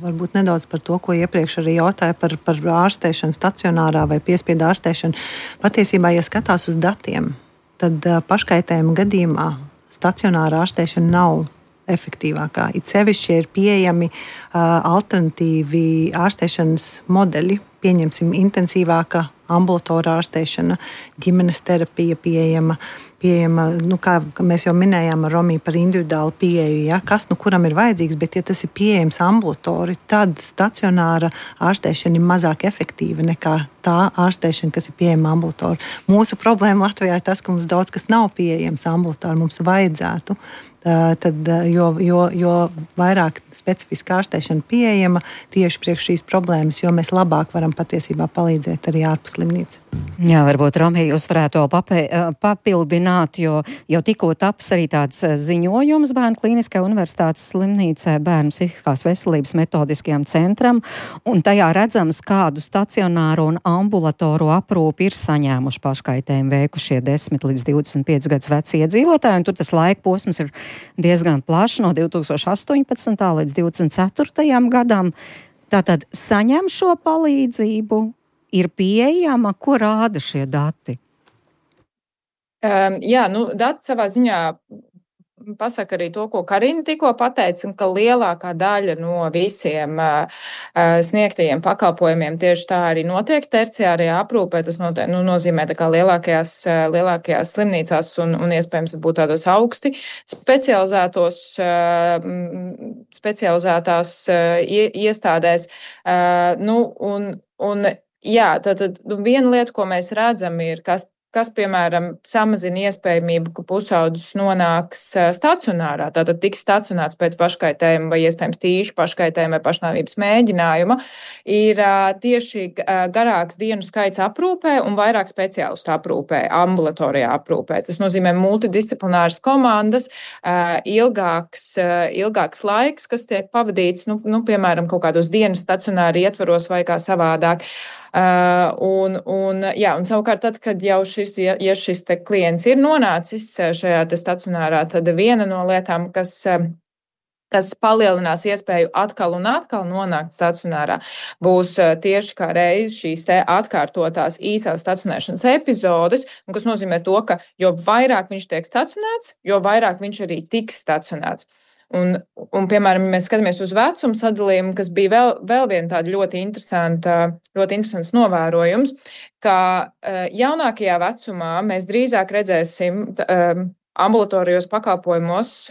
varbūt nedaudz par to, ko iepriekš arī jautāja par ārstēšanu stacionārā vai piespiedu ārstēšanu. Patiesībā, ja skatās uz datiem, tad paškaitējuma gadījumā stacionāra ārstēšana nav efektīvākā. It sevišķi ir pieejami alternatīvi ārstēšanas modeļi, pieņemsim intensīvāka ambulatorā ārstēšana, ģimenes terapija pieejama, kā mēs jau minējām ar Romiju par individuālu pieeju, ja, kas kuram ir vajadzīgs, bet ja tas ir pieejams ambulatori, tad stacionāra ārstēšana ir mazāk efektīva nekā tā ārstēšana, kas ir pieejama ambulatori. Mūsu problēma Latvijā ir tas, ka mums daudz kas nav pieejams ambulatori, mums vajadzētu. Tad, jo vairāk specifiska ārstēšana pieejama tieši priekš šīs problēmas, jo mēs labāk varam patiesībā palīdzēt arī ārpus slimnīcas. Jā, varbūt, Romija, jūs varētu papildināt, jo jau tikko taps arī tāds ziņojums Bērnu Klīniskajai Universitātes slimnīcai Bērnu psihiskās veselības metodiskajam centram, un tajā redzams, kādu stacionāru un ambulatoru aprūpi ir saņēmuši paškaitējumu veikušie 10 līdz 25 gadus veci iedzīvotāji, un tur tas laika posms ir diezgan plašs no 2018. līdz 2024. gadam. Tātad saņem šo palīdzību, ir pieejama, ko rāda šie dati? Dati savā ziņā pasaka arī to, ko Karina tikko pateica, ka lielākā daļa no visiem sniegtajiem pakalpojumiem tieši tā arī notiek terciārajā aprūpē. Tas nozīmē tā kā lielākajās slimnīcās un iespējams būt tādos augsti specializētās iestādēs. Tad viena lieta, ko mēs redzam, ir, kas, piemēram, samazina iespējamību, ka pusaudzis nonāks stacionārā, tātad tiks stacionēts pēc paškaitējuma vai iespējams tīši paškaitējuma vai pašnāvības mēģinājuma, ir tieši garāks dienu skaits aprūpē un vairāk speciālistu aprūpē, ambulatorijā aprūpē. Tas nozīmē multidisciplināras komandas, ilgāks laiks, kas tiek pavadīts, piemēram, kaut kādos dienas stacionāri ietvaros vai kā savādāk. Un savukārt tad, kad jau šis klients ir nonācis šajā stacionārā, tad viena no lietām, kas palielinās iespēju atkal un atkal nonākt stacionārā, būs tieši kā reiz šīs atkārtotās īsās stacionēšanas epizodes, kas nozīmē to, ka jo vairāk viņš tiek stacionēts, jo vairāk viņš arī tiks stacionēts. Un, piemēram, mēs skatāmies uz vecumu sadalījumu, kas bija vēl viena tāda ļoti interesants novērojums, ka jaunākajā vecumā mēs drīzāk redzēsim ambulatorijos pakalpojumos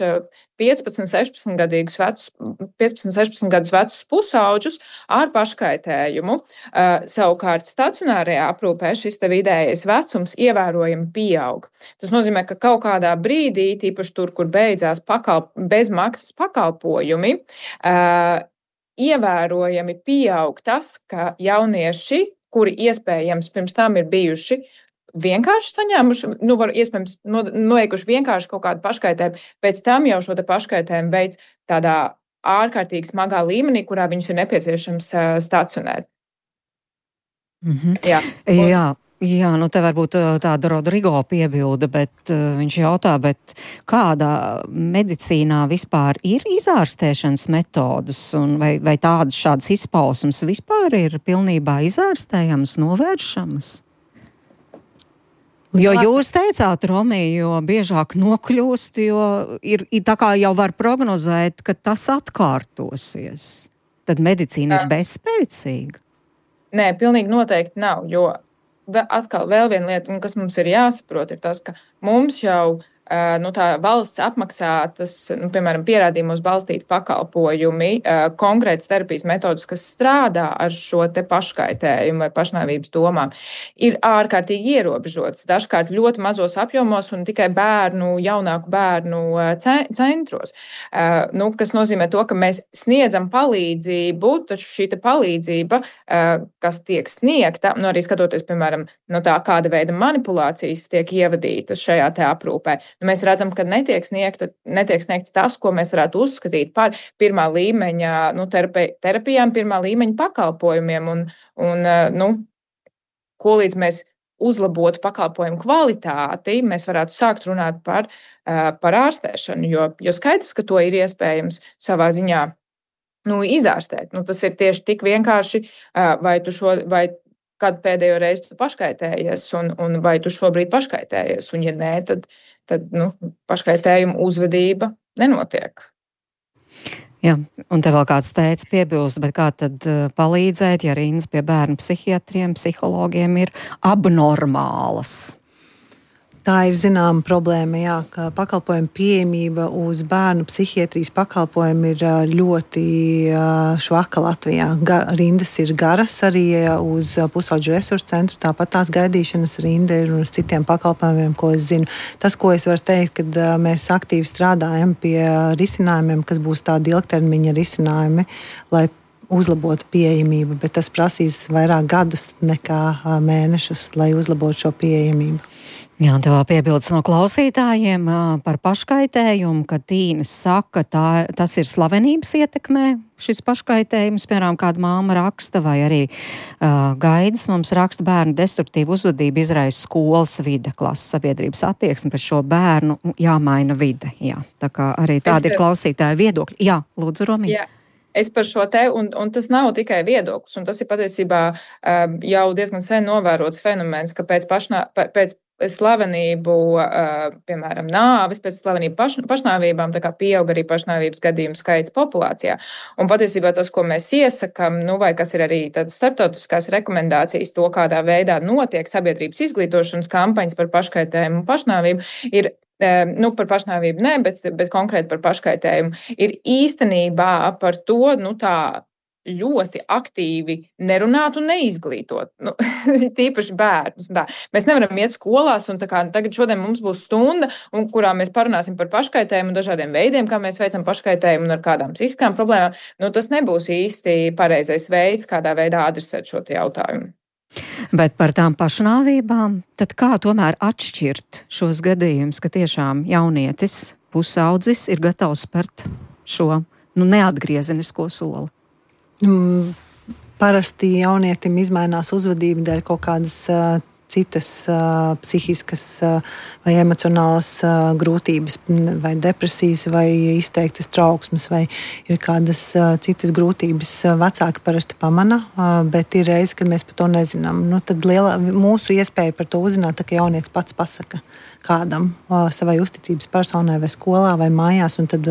15-16 gadus vecus pusauģus ar paškaitējumu. Savukārt stacionārajā aprūpē šis vidējais vecums ievērojami pieaug. Tas nozīmē, ka kaut kādā brīdī, tīpaši tur, kur beidzās bezmaksas pakalpojumi, ievērojami pieaug tas, ka jaunieši, kuri iespējams pirms tam ir bijuši vienkārši saņēmuši, iespējams, noveikuši vienkārši kaut kādu paškaitējumu, pēc tam jau šo te paškaitējumu veids tādā ārkārtīgi smagā līmenī, kurā viņus ir nepieciešams stacionēt. Jā, te varbūt tāda Rodrigo piebilda, bet viņš jautā, bet kādā medicīnā vispār ir izārstēšanas metodas, un vai tādas šādas izpausmes vispār ir pilnībā izārstējamas, novēršamas? Jo jūs teicāt, Romija, jo biežāk nokļūst, jo ir tā kā jau var prognozēt, ka tas atkārtosies. Tad medicīna ir bezspēcīga? Nē, pilnīgi noteikti nav, jo atkal vēl viena lieta, kas mums ir jāsaprot, ir tas, ka mums jau tā valsts apmaksātas, piemēram, pierādījumos balstīti pakalpojumi, konkrētas terapijas metodas, kas strādā ar šo te paškaitējumu vai pašnāvības domām, ir ārkārtīgi ierobežotas. Dažkārt ļoti mazos apjomos un tikai jaunāku bērnu centros. Kas nozīmē to, ka mēs sniedzam palīdzību, taču šī palīdzība, kas tiek sniegta, arī skatoties, piemēram, kāda veida manipulācijas tiek ievadītas šajā te aprūpē. Mēs redzam, ka netiek sniegts tas, ko mēs varētu uzskatīt par pirmā līmeņa terapijām, pirmā līmeņa pakalpojumiem. Ko līdz mēs uzlabotu pakalpojumu kvalitāti, mēs varētu sākt runāt par ārstēšanu, jo skaidrs, ka to ir iespējams savā ziņā izārstēt. Tas ir tieši tik vienkārši, vai kad pēdējo reizi tu paškaitējies, un vai tu šobrīd paškaitējies, un ja nē, tad paškaitējuma uzvedība nenotiek. Jā, un te vēl kāds teica piebilst, bet kā tad palīdzēt, ja rindas pie bērnu psihiatriem, psihologiem ir abnormālas? Tā ir zināma problēma, jā, ka pakalpojumu pieejamība uz bērnu psihiatrijas pakalpojumu ir ļoti švaka Latvijā. Rindas ir garas arī uz Pusauģu resursu centru, tāpat tās gaidīšanas rinda ir un uz citiem pakalpojumiem, ko es zinu. Tas, ko es varu teikt, kad mēs aktīvi strādājam pie risinājumiem, kas būs tādi ilgtermiņa risinājumi, lai uzlabotu pieejamību, bet tas prasīs vairāk gadus nekā mēnešus, lai uzlabotu šo pieejamību. Jā, un tev piebildes no klausītājiem par paškaitējumu, ka Tīnes saka, tas ir slavenības ietekmē, šis paškaitējums, piemēram, kāda māma raksta, vai arī Gaidis mums raksta, bērnu destruktīvu uzvedību izraisa skolas vide, klases sabiedrības attieksme pret šo bērnu, jāmaina vide. Jā, tā kā arī tādi ir klausītāji viedokļi. Jā, lūdzu, Romija. Jā. Es par šo te, un tas nav tikai viedoklis, un tas ir patiesībā jau diezgan sen novērots fenomens, ka pēc slavenību, piemēram, nāvis, pēc slavenību pašnāvībām, tā kā pieaug arī pašnāvības gadījumu skaits populācijā. Un patiesībā tas, ko mēs iesakam, vai kas ir arī tādas starptautiskās rekomendācijas, to, kādā veidā notiek sabiedrības izglītošanas kampaņas par paškaitējumu un pašnāvību, ir par pašnāvību ne, bet konkrēti par paškaitējumu, ir īstenībā par to, tā ļoti aktīvi nerunāt un neizglītot. Tīpaši bērnus. Mēs nevaram iet skolās, un tagad šodien mums būs stunda, kurā mēs parunāsim par paškaitējumu un dažādiem veidiem, kā mēs veicam paškaitējumu un ar kādām psihiskām problēmām. Tas nebūs īsti pareizais veids, kādā veidā adresēt šo jautājumu. Bet par tām pašnāvībām, tad kā tomēr atšķirt šos gadījumus, ka tiešām jaunietis, pusaudzis ir gatavs spērt šo neatgriezenisko soli? Parasti jaunietim izmainās uzvedība dēļ kaut kādas citas psihiskas vai emocionālas grūtības, vai depresijas, vai izteiktas trauksmes, vai ir kādas citas grūtības. Vecāki parasti pamana, bet ir reizi, kad mēs par to nezinām. Tad mūsu iespēja par to uzzināt, ka jaunietis pats pasaka kādam, savai uzticības personai vai skolā vai mājās, un tad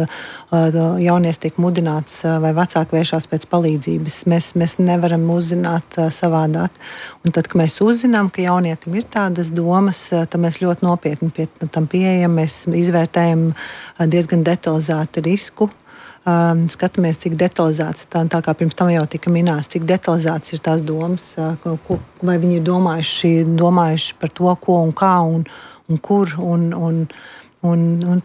jaunietis tiek mudināts vai vecāki vēršās pēc palīdzības. Mēs nevaram uzzināt savādāk. Un tad, kad mēs uzzinām, ka jaunietim ir tādas domas, tad mēs ļoti nopietni pie tam pieejam, mēs izvērtējam diezgan detalizētu risku. Skatāmies, cik detalizēts, tā kā pirms tam jau tika minēts, cik detalizēts ir tās domas, vai viņi ir domājuši par to, ko un kā un kur, un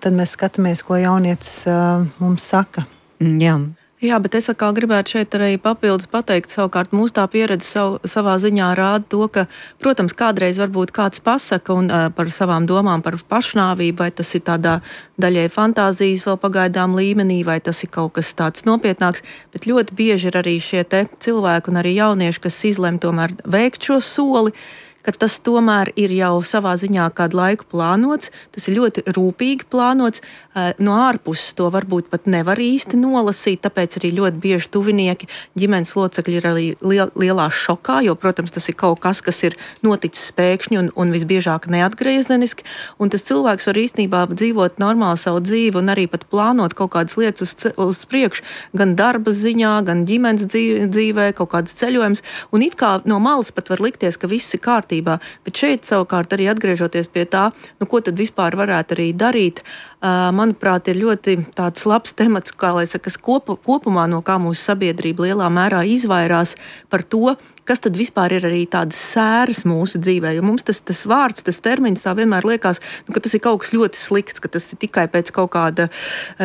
tad mēs skatāmies, ko jaunietis mums saka. Jā. Jā, bet es atkal gribētu šeit arī papildus pateikt, savukārt mūsu tā pieredze savā ziņā rāda to, ka, protams, kādreiz varbūt kāds pasaka par savām domām par pašnāvību, vai tas ir tādā daļai fantāzijas vēl pagaidām līmenī, vai tas ir kaut kas tāds nopietnāks, bet ļoti bieži ir arī šie te cilvēki un arī jaunieši, kas izlem tomēr veikt šo soli, ka tas tomēr ir jau savā ziņā kādu laiku plānots, tas ir ļoti rūpīgi plānots, no ārpuses to varbūt pat nevar īsti nolasīt, tāpēc arī ļoti bieži tuvinieki, ģimenes locekļi ir arī lielā šokā, jo, protams, tas ir kaut kas, kas ir noticis pēkšņi un visbiežāk neatgriezeniski, un tas cilvēks var īstenībā dzīvot normāli savu dzīvi un arī pat plānot kaut kādas lietas uz priekšu, gan darba ziņā, gan ģimenes dzīvē, kaut kādas ceļojumus, un it kā no malas pat var likties, ka viss ir kārtībā. Bet šeit savukārt arī atgriežoties pie tā, ko tad vispār varētu arī darīt, manuprāt, ir ļoti tāds labs temats, kā lai saka, kopumā no kā mūsu sabiedrība lielā mērā izvairās par to, kas tad vispār ir arī tādas sēras mūsu dzīvē, jo mums tas vārds, tas termins tā vienmēr liekas, ka tas ir kaut kas ļoti slikts, ka tas ir tikai pēc kaut kāda,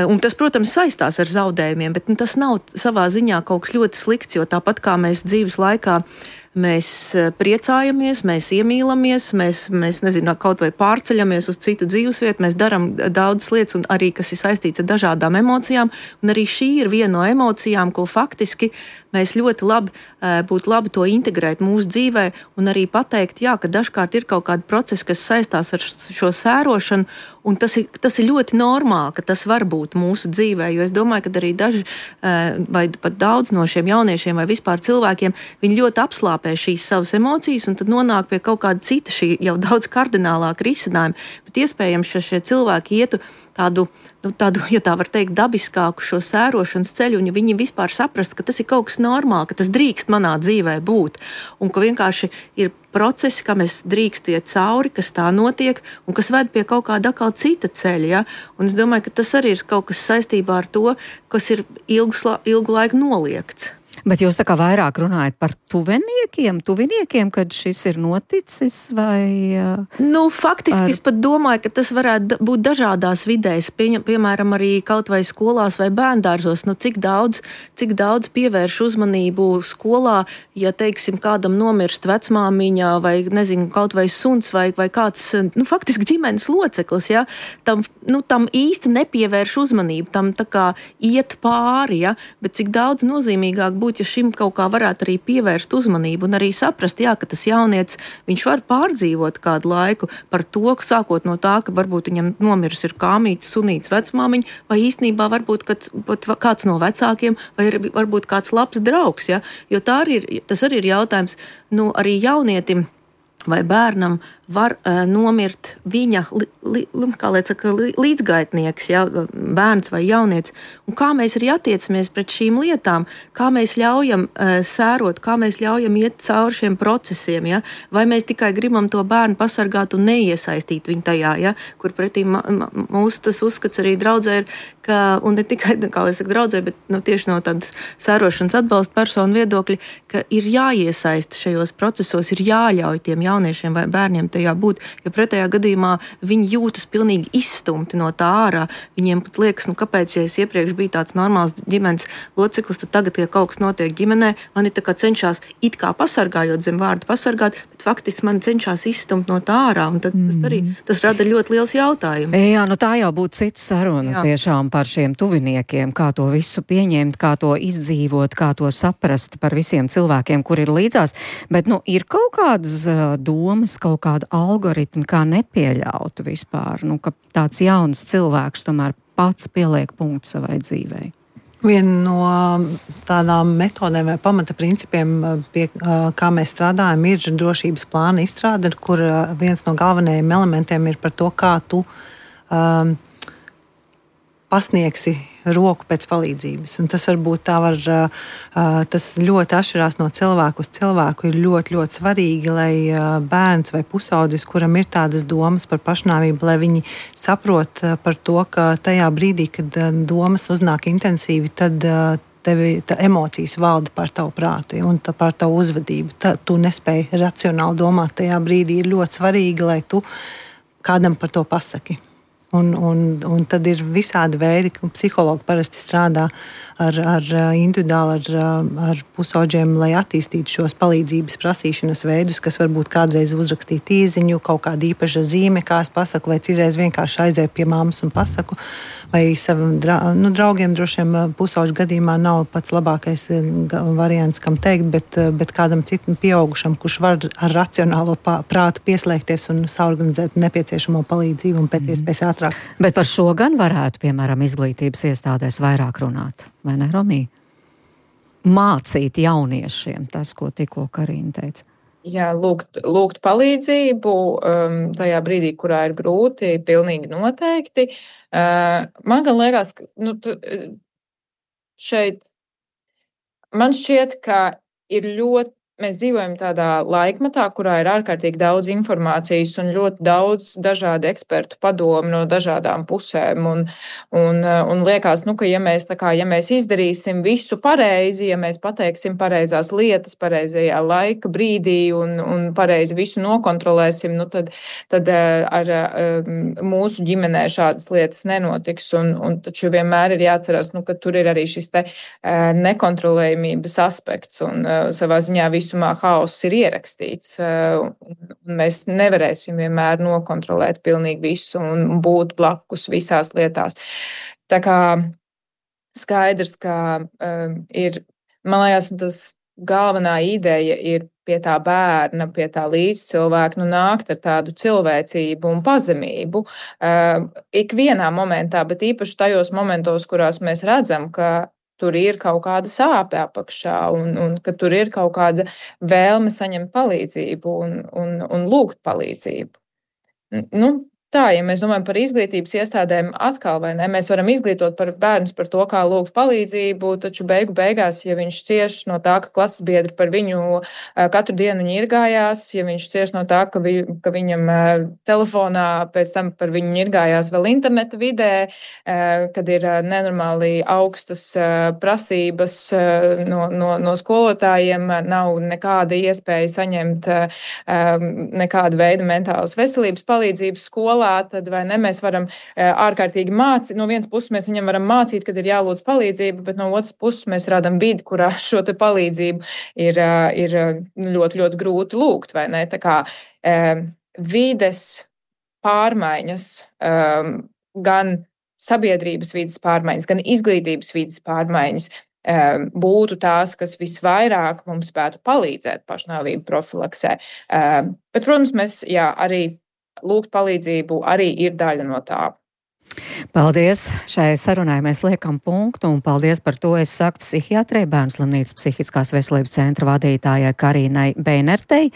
un tas, protams, saistās ar zaudējumiem, bet tas nav savā ziņā kaut kas ļoti slikts, jo tāpat kā mēs dzīves laikā mēs priecājamies, mēs iemīlamies, mēs nezinu, kaut vai pārceļamies uz citu dzīvesvietu, mēs darām daudzas lietas, un arī, kas ir saistīts ar dažādām emocijām, un arī šī ir viena no emocijām, ko faktiski mēs ļoti labi būtu labi to integrēt mūsu dzīvē, un arī pateikt, jā, ka dažkārt ir kaut kādi procesi, kas saistās ar šo sērošanu, un tas ir ļoti normāli, ka tas var būt mūsu dzīvē, jo es domāju, ka arī daži vai pat daudz no šiem jauniešiem vai vispār cilvēkiem, viņi ļoti apslāpē šīs savas emocijas un tad nonāk pie kaut kāda cita šī jau daudz kardinālāka risinājuma, bet iespējams, ka šie cilvēki ietu tādu, ja tā var teikt, dabiskāku šo sērošanas ceļu, un ja viņi vispār saprast, ka tas ir kaut kas normāli, ka tas drīkst manā dzīvē būt, un ka vienkārši ir procesi, kā mēs drīkstu iet cauri, kas tā notiek, un kas ved pie kaut kāda atkal cita ceļa, ja? Un es domāju, ka tas arī ir kaut kas saistībā ar to, kas ir ilgu laiku noliegts. Bet jūs tā kā vairāk runājat par tuviniekiem, kad šis ir noticis, vai? Faktiski es pat domāju, ka tas varētu būt dažādās vidēs, piemēram, arī kaut vai skolās vai bērndārzos, cik daudz pievērš uzmanību skolā, ja, teiksim, kādam nomirst vecmāmiņa vai, nezinu, kaut vai suns vai kāds, faktiski ģimenes loceklis, ja, tam īsti nepievērš uzmanību, tam tā kā iet pāri, ja, bet cik daudz nozīmīgāk būt, ja šim kaut kā varētu arī pievērst uzmanību un arī saprast, jā, ka tas jaunietis, viņš var pārdzīvot kādu laiku par to, sākot no tā, ka varbūt viņam nomirs ir kāmītis, sunītis, vecmāmiņa, vai īstenībā varbūt kāds no vecākiem, vai varbūt kāds labs draugs, ja? Jo tas arī ir jautājums, arī jaunietim vai bērnam var nomirt viņa līdzgaitnieks, ja, bērns vai jaunietis. Un kā mēs arī attiecamies pret šīm lietām, kā mēs ļaujam sērot, kā mēs ļaujam iet cauri šiem procesiem, ja, vai mēs tikai gribam to bērnu pasargāt un neiesaistīt viņu tajā, ja, kur pretī mūsu tas uzskats arī draudzē ir, un ne tikai, kā lai saka, draudzē, bet tieši no tādas sērošanas atbalsta personu viedokļa, ka ir jāiesaist šajos procesos, ir jāļauj tiem jauniešiem vai bērniem tajā būt, jo pretējā gadījumā viņi jūtas pilnīgi izstumti no tā ārā. Viņiem pat liekas, kāpēc, ja es iepriekš biju tāds normāls ģimenes loceklis, tad tagad, ja kaut kas notiek ģimenē, mani tā kā cenšas it kā pasargājot zem vārdu pasargāt, bet faktiski mani cenšas izstumt no tā ārā, un tad tas rada ļoti liels jautājums. Jā, tā jau būtu cita saruna tiešām par šiem tuviniekiem, kā to visu pieņemt, kā to izdzīvot, kā to saprast par visiem cilvēkiem, kur ir līdzās, bet, ir kaut kādas domas, kaut kāda algoritmi, kā nepieļaut vispār, ka tāds jauns cilvēks tomēr pats pieliek punktu savai dzīvei. Viena no tādām metodēm vai pamata principiem, pie kā mēs strādājam, ir drošības plāna izstrāde, kur viens no galvenajiem elementiem ir par to, kā tu pasniegsi roku pēc palīdzības. Un tas varbūt tas ļoti atšķirās no cilvēku uz cilvēku. Ir ļoti, ļoti svarīgi, lai bērns vai pusaudzis, kuram ir tādas domas par pašnāvību, lai viņi saprot par to, ka tajā brīdī, kad domas uznāk intensīvi, tad emocijas valda pār tavu prātu un pār tavu uzvedību. Tu nespēji racionāli domāt tajā brīdī. Ir ļoti svarīgi, lai tu kādam par to pasaki. Un tad ir visādi veidi, ka psihologi parasti strādā ar individuāli ar pusauģiem, lai attīstītu šos palīdzības prasīšanas veidus, kas varbūt kādreiz uzrakstīt īziņu, kaut kāda īpaša zīme, kā es pasaku, vai citreiz vienkārši aizēju pie mammas un pasaku, vai saviem draugiem droši vien pusauģu gadījumā nav pats labākais variants, kam teikt, bet kādam citam pieaugušam, kurš var ar racionālo prātu pieslēgties un saorganizēt nepieciešamo palīdzību un pēc iespējas ātrāk. Bet par šo gan varētu, piemēram, izglītības iestādēs vairāk runāt, vai ne, Romī? Mācīt jauniešiem tas, ko tikko Karina teica. Jā, lūgt palīdzību tajā brīdī, kurā ir grūti, pilnīgi noteikti. Man gan liekas, ka šeit man šķiet, ka ir mēs dzīvojam tādā laikmetā, kurā ir ārkārtīgi daudz informācijas un ļoti daudz dažādu ekspertu padomu no dažādām pusēm. Un liekas, ka ja mēs izdarīsim visu pareizi, ja mēs pateiksim pareizās lietas pareizajā laika brīdī un pareizi visu nokontrolēsim, tad ar mūsu ģimenē šādas lietas nenotiks. Un taču vienmēr ir jāatcerās, ka tur ir arī šis te nekontrolējumības aspekts un savā ziņā visumā haoss ir ierakstīts. Mēs nevarēsim vienmēr nokontrolēt pilnīgi visu un būt blakus visās lietās. Tā kā skaidrs, ka ir, man liekas, tas galvenā ideja ir pie tā bērna, pie tā līdzcilvēka, nākt ar tādu cilvēcību un pazemību ikvienā momentā, bet īpaši tajos momentos, kurās mēs redzam, ka tur ir kaut kāda sāpe apakšā un ka tur ir kaut kāda vēlme saņemt palīdzību un lūgt palīdzību. Tā, ja mēs domājam par izglītības iestādēm atkal, vai ne, mēs varam izglītot par bērnus par to, kā lūgt palīdzību, taču beigās, ja viņš cieš no tā, ka klases biedri par viņu katru dienu ņirgājās, ja viņš cieš no tā, ka viņam telefonā pēc tam par viņu ņirgājās vēl interneta vidē, kad ir nenormāli augstas prasības no skolotājiem, nav nekāda iespēja saņemt nekāda veida mentālas veselības palīdzības skolā, tad vai ne, mēs varam ārkārtīgi mācīt. No vienas puses mēs viņam varam mācīt, kad ir jālūdz palīdzību, bet no otras puses mēs radam vidi, kurā šo te palīdzību ir ļoti, ļoti grūti lūgt, vai ne? Tā kā vides pārmaiņas, gan sabiedrības vides pārmaiņas, gan izglītības vides pārmaiņas būtu tās, kas visvairāk mums spētu palīdzēt pašnāvību profilaksē. Bet, protams, mēs arī lūgt palīdzību arī ir daļa no tā. Paldies! Šai sarunai mēs liekam punktu un paldies par to. Es saku psihiatrei, Bērnslimnīcas psihiskās veselības centra vadītājai Karinai Beinertei,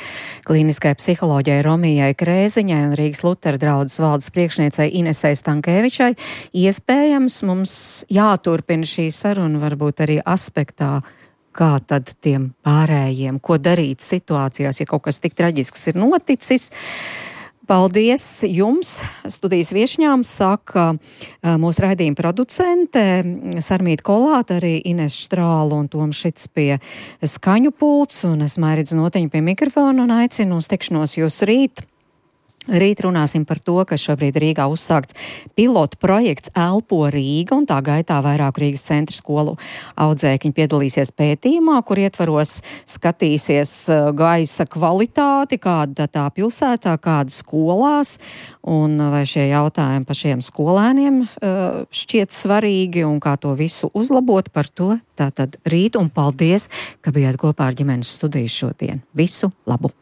klīniskai psiholoģijai Romijai Krēziņai un Rīgas Lutera draudzes valdes priekšniecei Inesei Stankēvičai. Iespējams, mums jāturpina šī saruna varbūt arī aspektā, kā tad tiem pārējiem, ko darīt situācijās, ja kaut kas tik traģisks ir noticis. Paldies jums, studijas viešņām, saka mūsu raidījuma producente Sarmīta Kolāte, arī Ines Štrāla un Toms Šits pie skaņu pults, un es Mairīdz Notiņa pie mikrofona un aicinu uz tikšanos jūs rīt. Rīt runāsim par to, ka šobrīd Rīgā uzsākts pilotu projekts Elpo Rīga, un tā gaitā vairāku Rīgas centra skolu audzēkņi piedalīsies pētījumā, kur ietvaros skatīsies gaisa kvalitāti, kāda tā pilsētā, kāda skolās, un vai šie jautājumi par šiem skolēniem šķiet svarīgi, un kā to visu uzlabot. Par to tātad rīt, un paldies, ka bijāt kopā ar ģimenes studiju šodien. Visu labu!